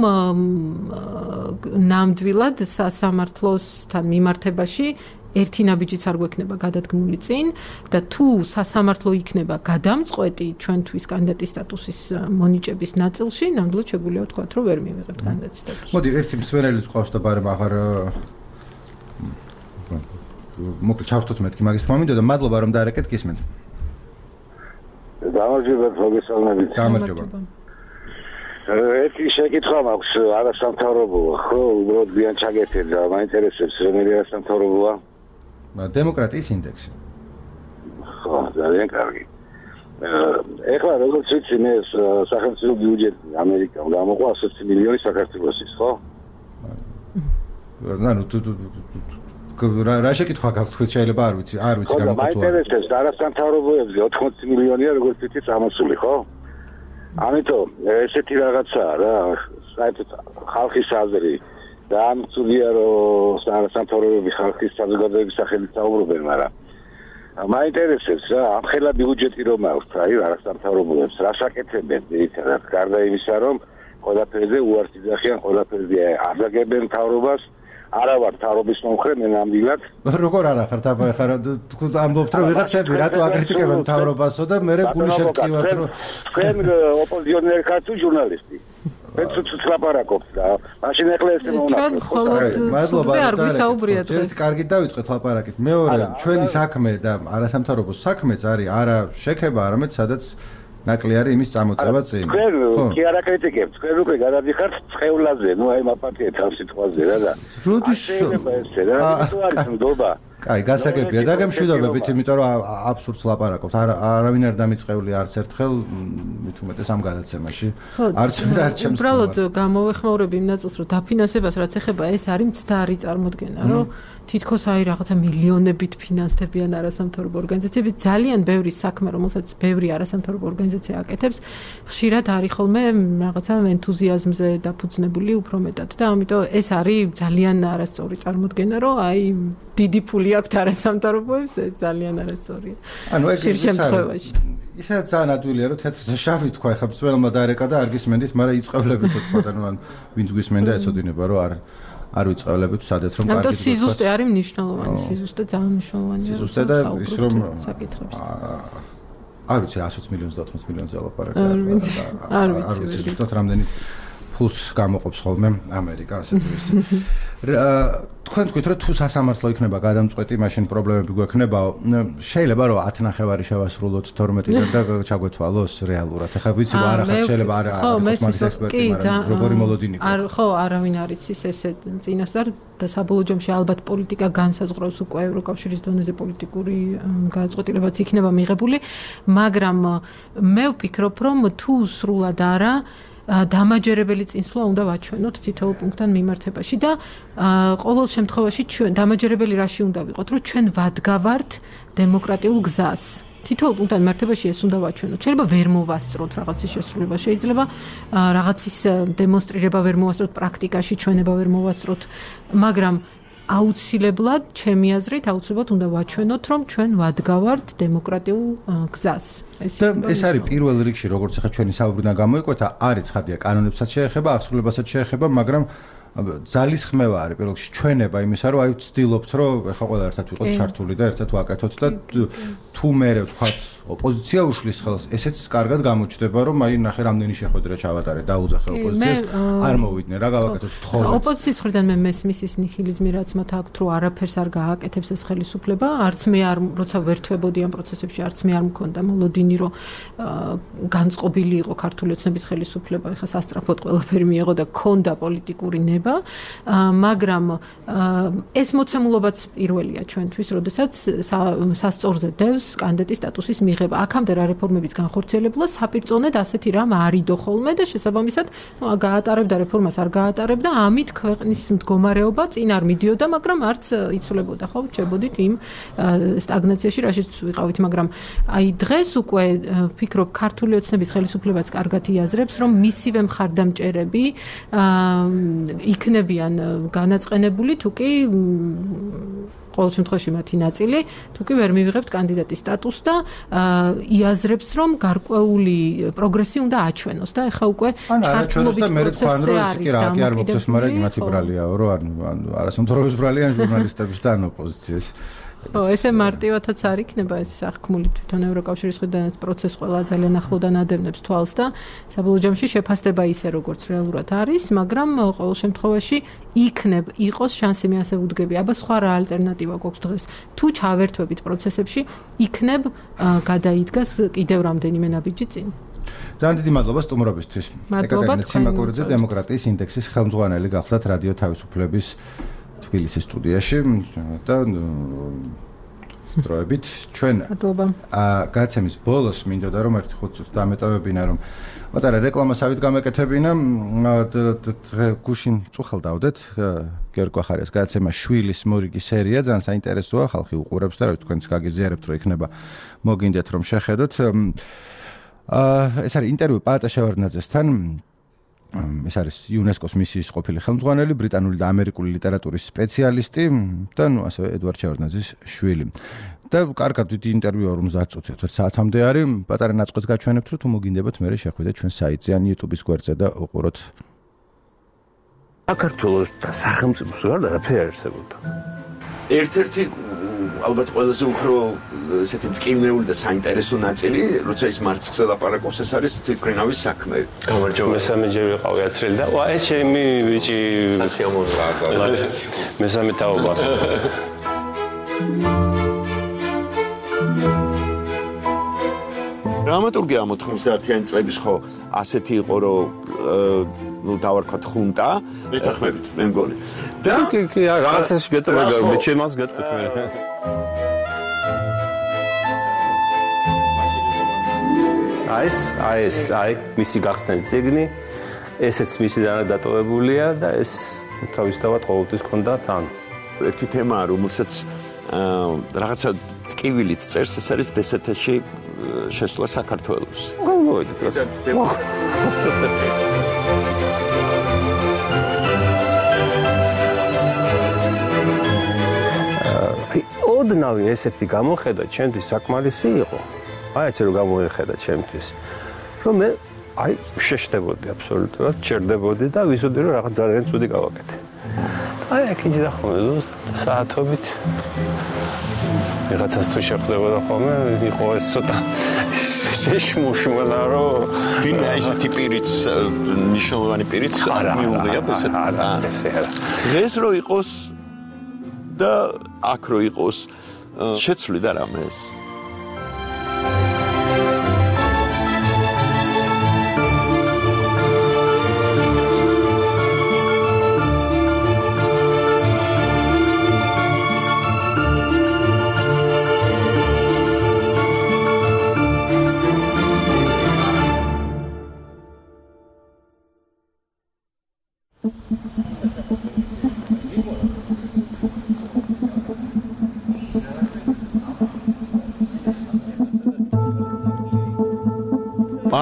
ნამდვილად სასამართლოსთან მიმართებაში ერთი ნაბიჯიც არ გვექნება გადადგმული წინ და თუ სასამართლო იქნება გადამწყვეტი ჩვენთვის კანდიდატის სტატუსის მონიჭების ნაწილში, ნამდვილად შეგვიძლია ვთქვათ, რომ ვერ მივიღებთ კანდიდატის სტატუსს. მოდი, ერთი მსმენელიც ყავს და ბარემ აღარ მოკლედ ჩავთოთ მეთქი მაგის თქმა მინდოდა, მადლობა რომ დაარეკეთ გისმენთ. გამარჯობა, მოგესალმებით. გამარჯობა. ერთი შეკითხვა მაქვს, არასამთავრობოა, ხო, უბრალოდ გვიან ჩაგეთეთ და მაინტერესებს რომელი არასამთავრობოა? დემოკრატიის ინდექსი. ხო, ძალიან კარგი. ეხლა როგორც ვიცი, მე სახელმწიფო ბიუჯეტი ამერიკამ გამოყვა 120 მილიონი საქართველოსის, ხო? ანუ რა შეკითხვა გაქვთ, თქვენ შეიძლება არ ვიცი გამოყვა. მაინტერესებს არასამთავრობოებზე 80 მილიონია როგორც ვიცი წამოსული, ხო? ამიტომ ესეთი რაღაცაა რა, საერთოდ ხალხის აზრი და ამ წუთია რომ სამთავრობოები ხალხის საზოგადოების სახელით საუბრობენ, მაგრამ მაინტერესებს რა, ამ ხელა ბიუჯეტი რომ აქვს, აი არასამთავრობოებს რა საკეთებენ ერთად, გარდა იმისა, რომ ყველაფერზე უარს იძახიან, ყველაფერზე აღაგებენ მთავრობას, არა ვარ მთავრობის მომხრე, მე ნამდვილად. როგორ არა ხართ აბა ხარ თქვენ ამბობთ რომ ვიღაცები რატო აკრიტიკებენ მთავრობასო და მე გული შეგტკივათ რომ თქვენ ოპოზიციონერი ხართ თუ ჟურნალისტი? მე ცუცუც ლაპარაკობთ და მაშინ ეხლა ეს მომნახოთ. მადლობა არ გვისაუბრია დღეს. ერთ კარგი დავიწყეთ ლაპარაკით. მეორე ჩვენი საქმე და არასამთავრობო საქმეც არის არა შექება, არამედ სადაც ნაკლი არის იმის წამოწევა წინ. ხო, კი არა კრიტიკებთ, თქვენ უკვე გადადიხართ წყევლაზე, ნუ აი მაპატიეთ ამ სიტყვაზე რა და. როდის ეს რა არის ნდობა? კაი, გასაგებია და გემშვიდობებით, იმიტომ რომ აბსურდს ლაპარაკობთ. არავინ არ დამიწყეული არც ერთხელ, მით უმეტეს ამ გადაცემაში. არც ჩემს. უბრალოდ გამოვეხმაურები იმ ნაწილს, რომ დაფინანსებას რაც ეხება, ეს არის მცდარი წარმოდგენა, რომ თითქოს აი რაღაცა მილიონებით ფინანსდებიან არასამთავრობო ორგანიზაციები, ძალიან ბევრი საქმე, რომელსაც ბევრი არასამთავრობო ორგანიზაცია აკეთებს, ხშირად არის ხოლმე რაღაცა ენთუზიაზმზე დაფუძნებული უფრო მეტად და ამიტომ ეს არის ძალიან არასწორი წარმოდგენა, რომ აი დიდი ფული აქვს არასამთავრობოებს, ეს ძალიან არასწორია. ანუ ეს შემთხვევაში. ისაც ძალიან ადვილია, რომ თეთრზე შავი თქვა, ხა მსმენელმა დაერეკა და არ გისმენდით, მაგრამ იწყებლებით თქვა და ნუ ან ვინც გვისმენდა ეცოდინება, რომ არ ვიწყებლებთ სადეთ რომ კარგი. ანუ სიზუსტე არის მნიშვნელოვანი, სიზუსტე ძალიან მნიშვნელოვანია. სიზუსტე და ის რომ საკითხებს. არ ვიცი 120 მილიონს და 80 მილიონს ელაპარაკა. არ ვიცი ზუსტად რამდენი ფულს გამოყოფს ხოლმე ამერიკა ასე თუ ისე. თქვენ თქვით რომ თუ სასამართლო იქნება გადამწყვეტი, მაშინ პრობლემები გვექნებაო. შეიძლება რომ 10 ნახევარი შევასრულოთ 12-დან და ჩაგვეთვალოს რეალურად. ეხლა ვიცი რომ არა ხარ შეიძლება არა მაგის ექსპერტი, მაგრამ როგორი მოლოდინი გვაქვს. ხო, არავინ არ იცის ესე წინასწარ და საბოლოო ჯამში ალბათ პოლიტიკა განსაზღვრავს უკვე ევროკავშირის დონეზე პოლიტიკური გადაწყვეტილებაც იქნება მიღებული, მაგრამ მე ვფიქრობ რომ თუ სრულად არა დამაჯერებელი წინსვლა უნდა ვაჩვენოთ თითოეულ პუნქტთან მიმართებაში და ყოველ შემთხვევაში ჩვენ დამაჯერებელი რაში უნდა ვიყოთ, რომ ჩვენ ვადგავართ დემოკრატიულ გზას. თითოეულ პუნქტთან მიმართებაში ეს უნდა ვაჩვენოთ. შეიძლება ვერ მოვასწროთ რაღაცის შესრულება, შეიძლება რაღაცის დემონსტრირება ვერ მოვასწროთ, პრაქტიკაში ჩვენება ვერ მოვასწროთ, მაგრამ აუცილებლად, ჩემი აზრით, აუცილებლად უნდა ვაჩვენოთ, რომ ჩვენ ვადგავართ დემოკრატიულ გზას. ეს არის პირველ რიგში, როგორც ახლა ჩვენი საუბრიდან გამოიკვეთა, არის ცხადია, კანონებსაც შეეხება, აღსრულებასაც შეეხება, მაგრამ ძალისხმევა არის პირველ რიგში ჩვენება იმისა, რომ აი ვცდილობთ, რომ ეხლა ყველა ერთად ვიყოთ ჩართული და ერთად ვაკეთოთ და თუ მე ვთქვათ ოპოზიცია უშლის ხელს, ესეც კარგად გამოჩნდება, რომ აი ნახე რამდენი შეხვედრა ჩავატარე დაუძახე ოპოზიციას, არ მოვიდნენ, რა გავაკეთოთ თხოვეთ. ოპოზიციის მხრიდან მე მესმის ის ნიჰილიზმი, რაც მათ აქვთ, რომ არაფერს არ გააკეთებს ეს ხელისუფლება, არც მე არ როცა ვერთვებოდი ამ პროცესებში, არც მე არ მქონდა მოლოდინი, რომ განწყობილი იყო ქართული ოცნების ხელისუფლება, ეხლა სასწრაფოდ ყველაფერი მიიღო და ქონდა პოლიტიკური ნება, მაგრამ ეს მოცემულობაც პირველია ჩვენთვის, როდესაც სასწორზე დევს კანდიდატის სტატუსის მიღება. აქამდე რა რეფორმების განხორციელებულა საპირწონედ ასეთი რამ არ იდო ხოლმე და შესაბამისად გაატარებდა რეფორმას არ გაატარებდა, ამით ქვეყნის მდგომარეობა წინ არ მიდიოდა, მაგრამ არც იცვლებოდა, ხო, რჩებოდით იმ სტაგნაციაში, რაშიც ვიყავით, მაგრამ აი დღეს უკვე ვფიქრობ ქართული ოცნების ხელისუფლებაც კარგად იაზრებს, რომ მისივე მხარდამჭერები იქნებიან განაწყენებული, თუ კი ყოველ შემთხვევაში მათი ნაწილი, თუ კი ვერ მივიღებთ კანდიდატის სტატუსს და იაზრებს, რომ გარკვეული პროგრესი უნდა აჩვენოს და ეხლა უკვე ჩართულობით პროცესზე არის და არ მოგწევს, მაგრამ იმათი ბრალიაო, რომ არასამთავრობო ბრალია ან ჟურნალისტების და ან ოპოზიციის. ხო, ესე მარტივადაც არ იქნება ეს აღქმული თვითონ ევროკავშირის მხრიდან პროცესი ყველა ძალიან ახლოდან ადევნებს თვალს და საბოლოო ჯამში შეფასდება ისე როგორც რეალურად არის, მაგრამ ყოველ შემთხვევაში იყოს შანსი მე ასე ვუდგები. აბა სხვა რა ალტერნატივა გვაქვს დღეს? თუ ჩავერთვებით პროცესებში, იქნებ გადაიდგას კიდევ რამდენიმე ნაბიჯი წინ. ძალიან დიდი მადლობა სტუმრობისთვის. მადლობა ციმაკურიძე დემოკრატიის ინდექსის ხელმძღვანელი გახლდათ რადიო თავისუფლების თბილისის სტუდიაში და დროებით ჩვენ გაცემის ბოლოს მინდოდა რომ ერთი 5 წუთი დამეტოვებინა რომ მატარა რეკლამასავით გამეკეთებინა გუშინ წუხელ დავდეთ გიორგი ახარიას გაცემა შვილის მორიგი სერია ძალიან საინტერესოა ხალხი უყურებს და რა თქვენ გაგიზიარებთ რომ იქნება მოგინდეთ რომ შეხედოთ ეს არის ინტერვიუ პაატა შევარდნაძესთან ეს არის იუნესკოს მისიის ყოფილი ხელმძღვანელი, ბრიტანული და ამერიკული ლიტერატურის სპეციალისტი და ნუ ასევე ედვარდ შევარდნაძის შვილი. და კარგად დიდი ინტერვიუ 50 წუთი, 1 საათამდე არის. პატარა ნაწყვეტს გაჩვენებთ, რომ თუ მოგინდებათ მე შეხვიდეთ ჩვენ საიტზე ან YouTube-ის გვერდზე და უყუროთ. საქართველოს და სახელმწიფოს გარდა არაფერი არ არსებობდა. ერთ-ერთი ალბათ ყველაზე უფრო ესეთი მტკივნეული და საინტერესო ნაწილი, როცა ის მარცხზე ლაპარაკობს, ეს არის თვითმფრინავის საქმე. გამარჯობა. მესამეჯერ ვიყავი აცრელი და ეს ჩემი ბიჭი სასიამოვნოა. მესამე თაობა. დრამატურგია 90-იანი წლების ხო ასეთი იყო, რომ ну დავარქვათ ხუნტა მეთანხმებით მე მგონი და კი რაღაცაში გეტყვი მე ჩემს გეტყვი აი მისი გახსნილი წიგნი ესეც მისი დატოვებულია და ეს თავისთავად ყოველთვის ქონდა თან ერთი თემაა რომელსაც რაღაცა ტკივილით წერს ეს არის დსთ-ში შესვლა საქართველოს მოვიდეთ ოდნავი ესეთი გამოხედა ჩემთვის საკმარისი იყო. აი ესე რომ გამოეხედა ჩემთვის. რომ მე აი შეშდებოდი აბსოლუტურად, ჩერდებოდი და ვიზოდი რომ რაღაც ძალიან ცუდი გავაკეთე. აი აქ იჯდა ხოლმე ზუსტად საათობით. რაღაცას თუ შეხვდებოდა ხოლმე, იყო ეს ცოტა შეშმუშმულა რომ ვინმე ესეთი პირიც ნიშნულოვანი პირიც მიუღია ესეთ არა. დღეს რო იყოს და აქ რო იყოს შეცვლი და რამე ეს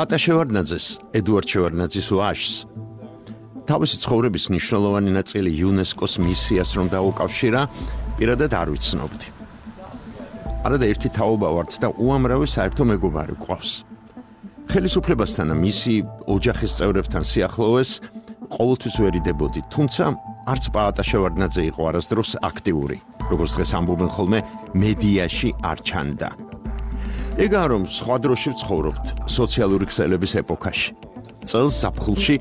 პაატა შევარდნაძეს, ედვარდ შევარდნაძის ვაჟს თავისი ცხოვრების მნიშვნელოვანი ნაწილი იუნესკოს მისიას რომ დაუკავშირა, პირადად არ ვიცნობდი. არადა ერთი თაობა ვართ და უამრავი საერთო მეგობარი გვყავს. ხელისუფლებასთან და მისი ოჯახის წევრებთან სიახლოვეს ყოველთვის ვერიდებოდი, თუმცა არც პაატა შევარდნაძე იყო არასდროს აქტიური, როგორც დღეს ამბობენ ხოლმე მედიაში არ ჩანდა. ეგაა რომ სხვა დროში ვცხოვრობთ სოციალური ქსელების ეპოქაში. წელს ზაფხულში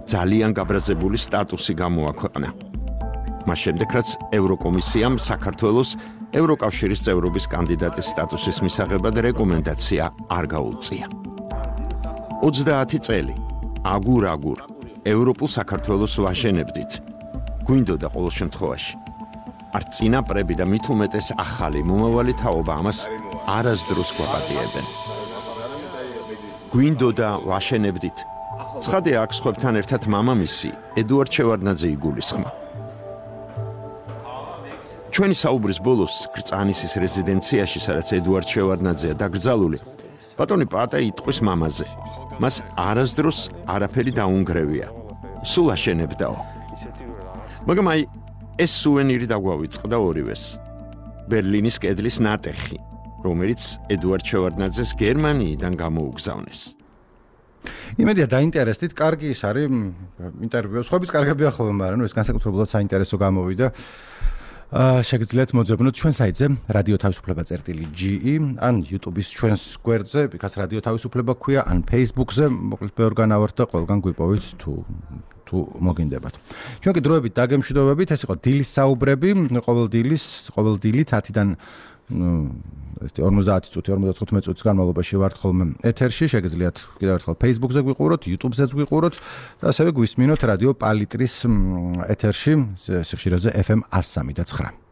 ძალიან გაბრაზებული სტატუსი გამოაქვეყნა. მას შემდეგ რაც ევროკომისიამ საქართველოს ევროკავშირის წევრობის კანდიდატის სტატუსის მისაღებად რეკომენდაცია არ გაუწია. 30 წელი აგურ ევროპულ საქართველოს ვაშენებდით. გვინდოდა ყოველ შემთხვევაში. არც წინაპრები და მით უმეტეს ახალი მომავალი თაობა ამას არასდროს გვაპატიებენ. გვინდოდა ვაშენებდით. ცხადია აქ სხვებთან ერთად მამამისი ედუარდ შევარდნაძე იგულისხმა. ჩვენი საუბრის ბოლოს გრწანისის რეზიდენციაში, სადაც ედუარდ შევარდნაძეა დაკრძალული, ბატონი პაატა იტყვის მამაზე. მას არასდროს არაფერი დაუნგრევია. სულ აშენებდაო. მაგრამ აი ეს სუვენირი დაგვავიწყდა ორივეს. ბერლინის კედლის ნატეხი, რომელიც ედუარდ შევარდნაძეს გერმანიიდან გამოუგზავნეს. იმედია დაინტერესდით, კარგი ის არის ინტერვიუ. სხვების კარგებია ხოლმე, მაგრამ ეს განსაკუთრებულად საინტერესო გამოვიდა. შეგიძლიათ მოძებნოთ ჩვენ საიტზე radio-თავისუფლება.ge ან YouTube-ის ჩვენს გვერდზე, იქაც რადიო თავისუფლება ქვია, ან Facebook-ზე, მოკლედ ბევრგან ავართ და ყველგან გვიპოვით თუ მოგინდებათ. ჩვენ კი დროებით დაგემშვიდობებით, ეს იყო დილის საუბრები, ყოველ დილით 10-დან 50 წუთი, 55 წუთის განმავლობაში ვართ ხოლმე ეთერში, შეგიძლიათ კიდევ ერთხელ Facebook-ზე გვიყუროთ, YouTube-ზეც გვიყუროთ და ასევე გვისმინოთ რადიო პალიტრის ეთერში, სიხშირეზე FM 103.9.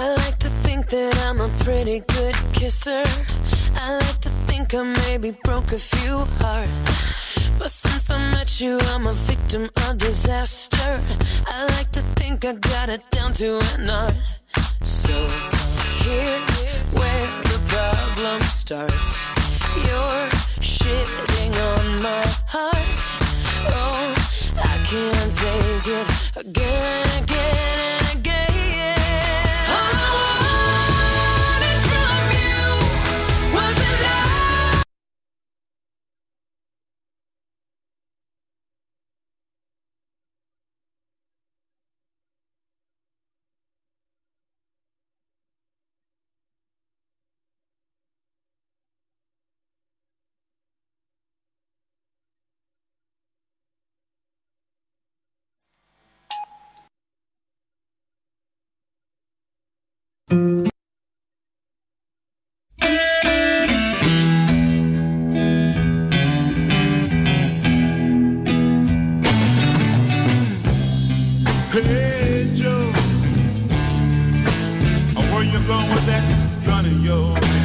I like to think that I'm a pretty good kisser. I like to think I maybe broke a few hearts. But since I met you, I'm a victim of disaster. I like to think I got it down to an art. So here's where the problem starts. You're shitting on my heart. Oh, I can't take it again and again and again. All I wanted from you was a love. Hey Joe, where you going with that gun in your hand?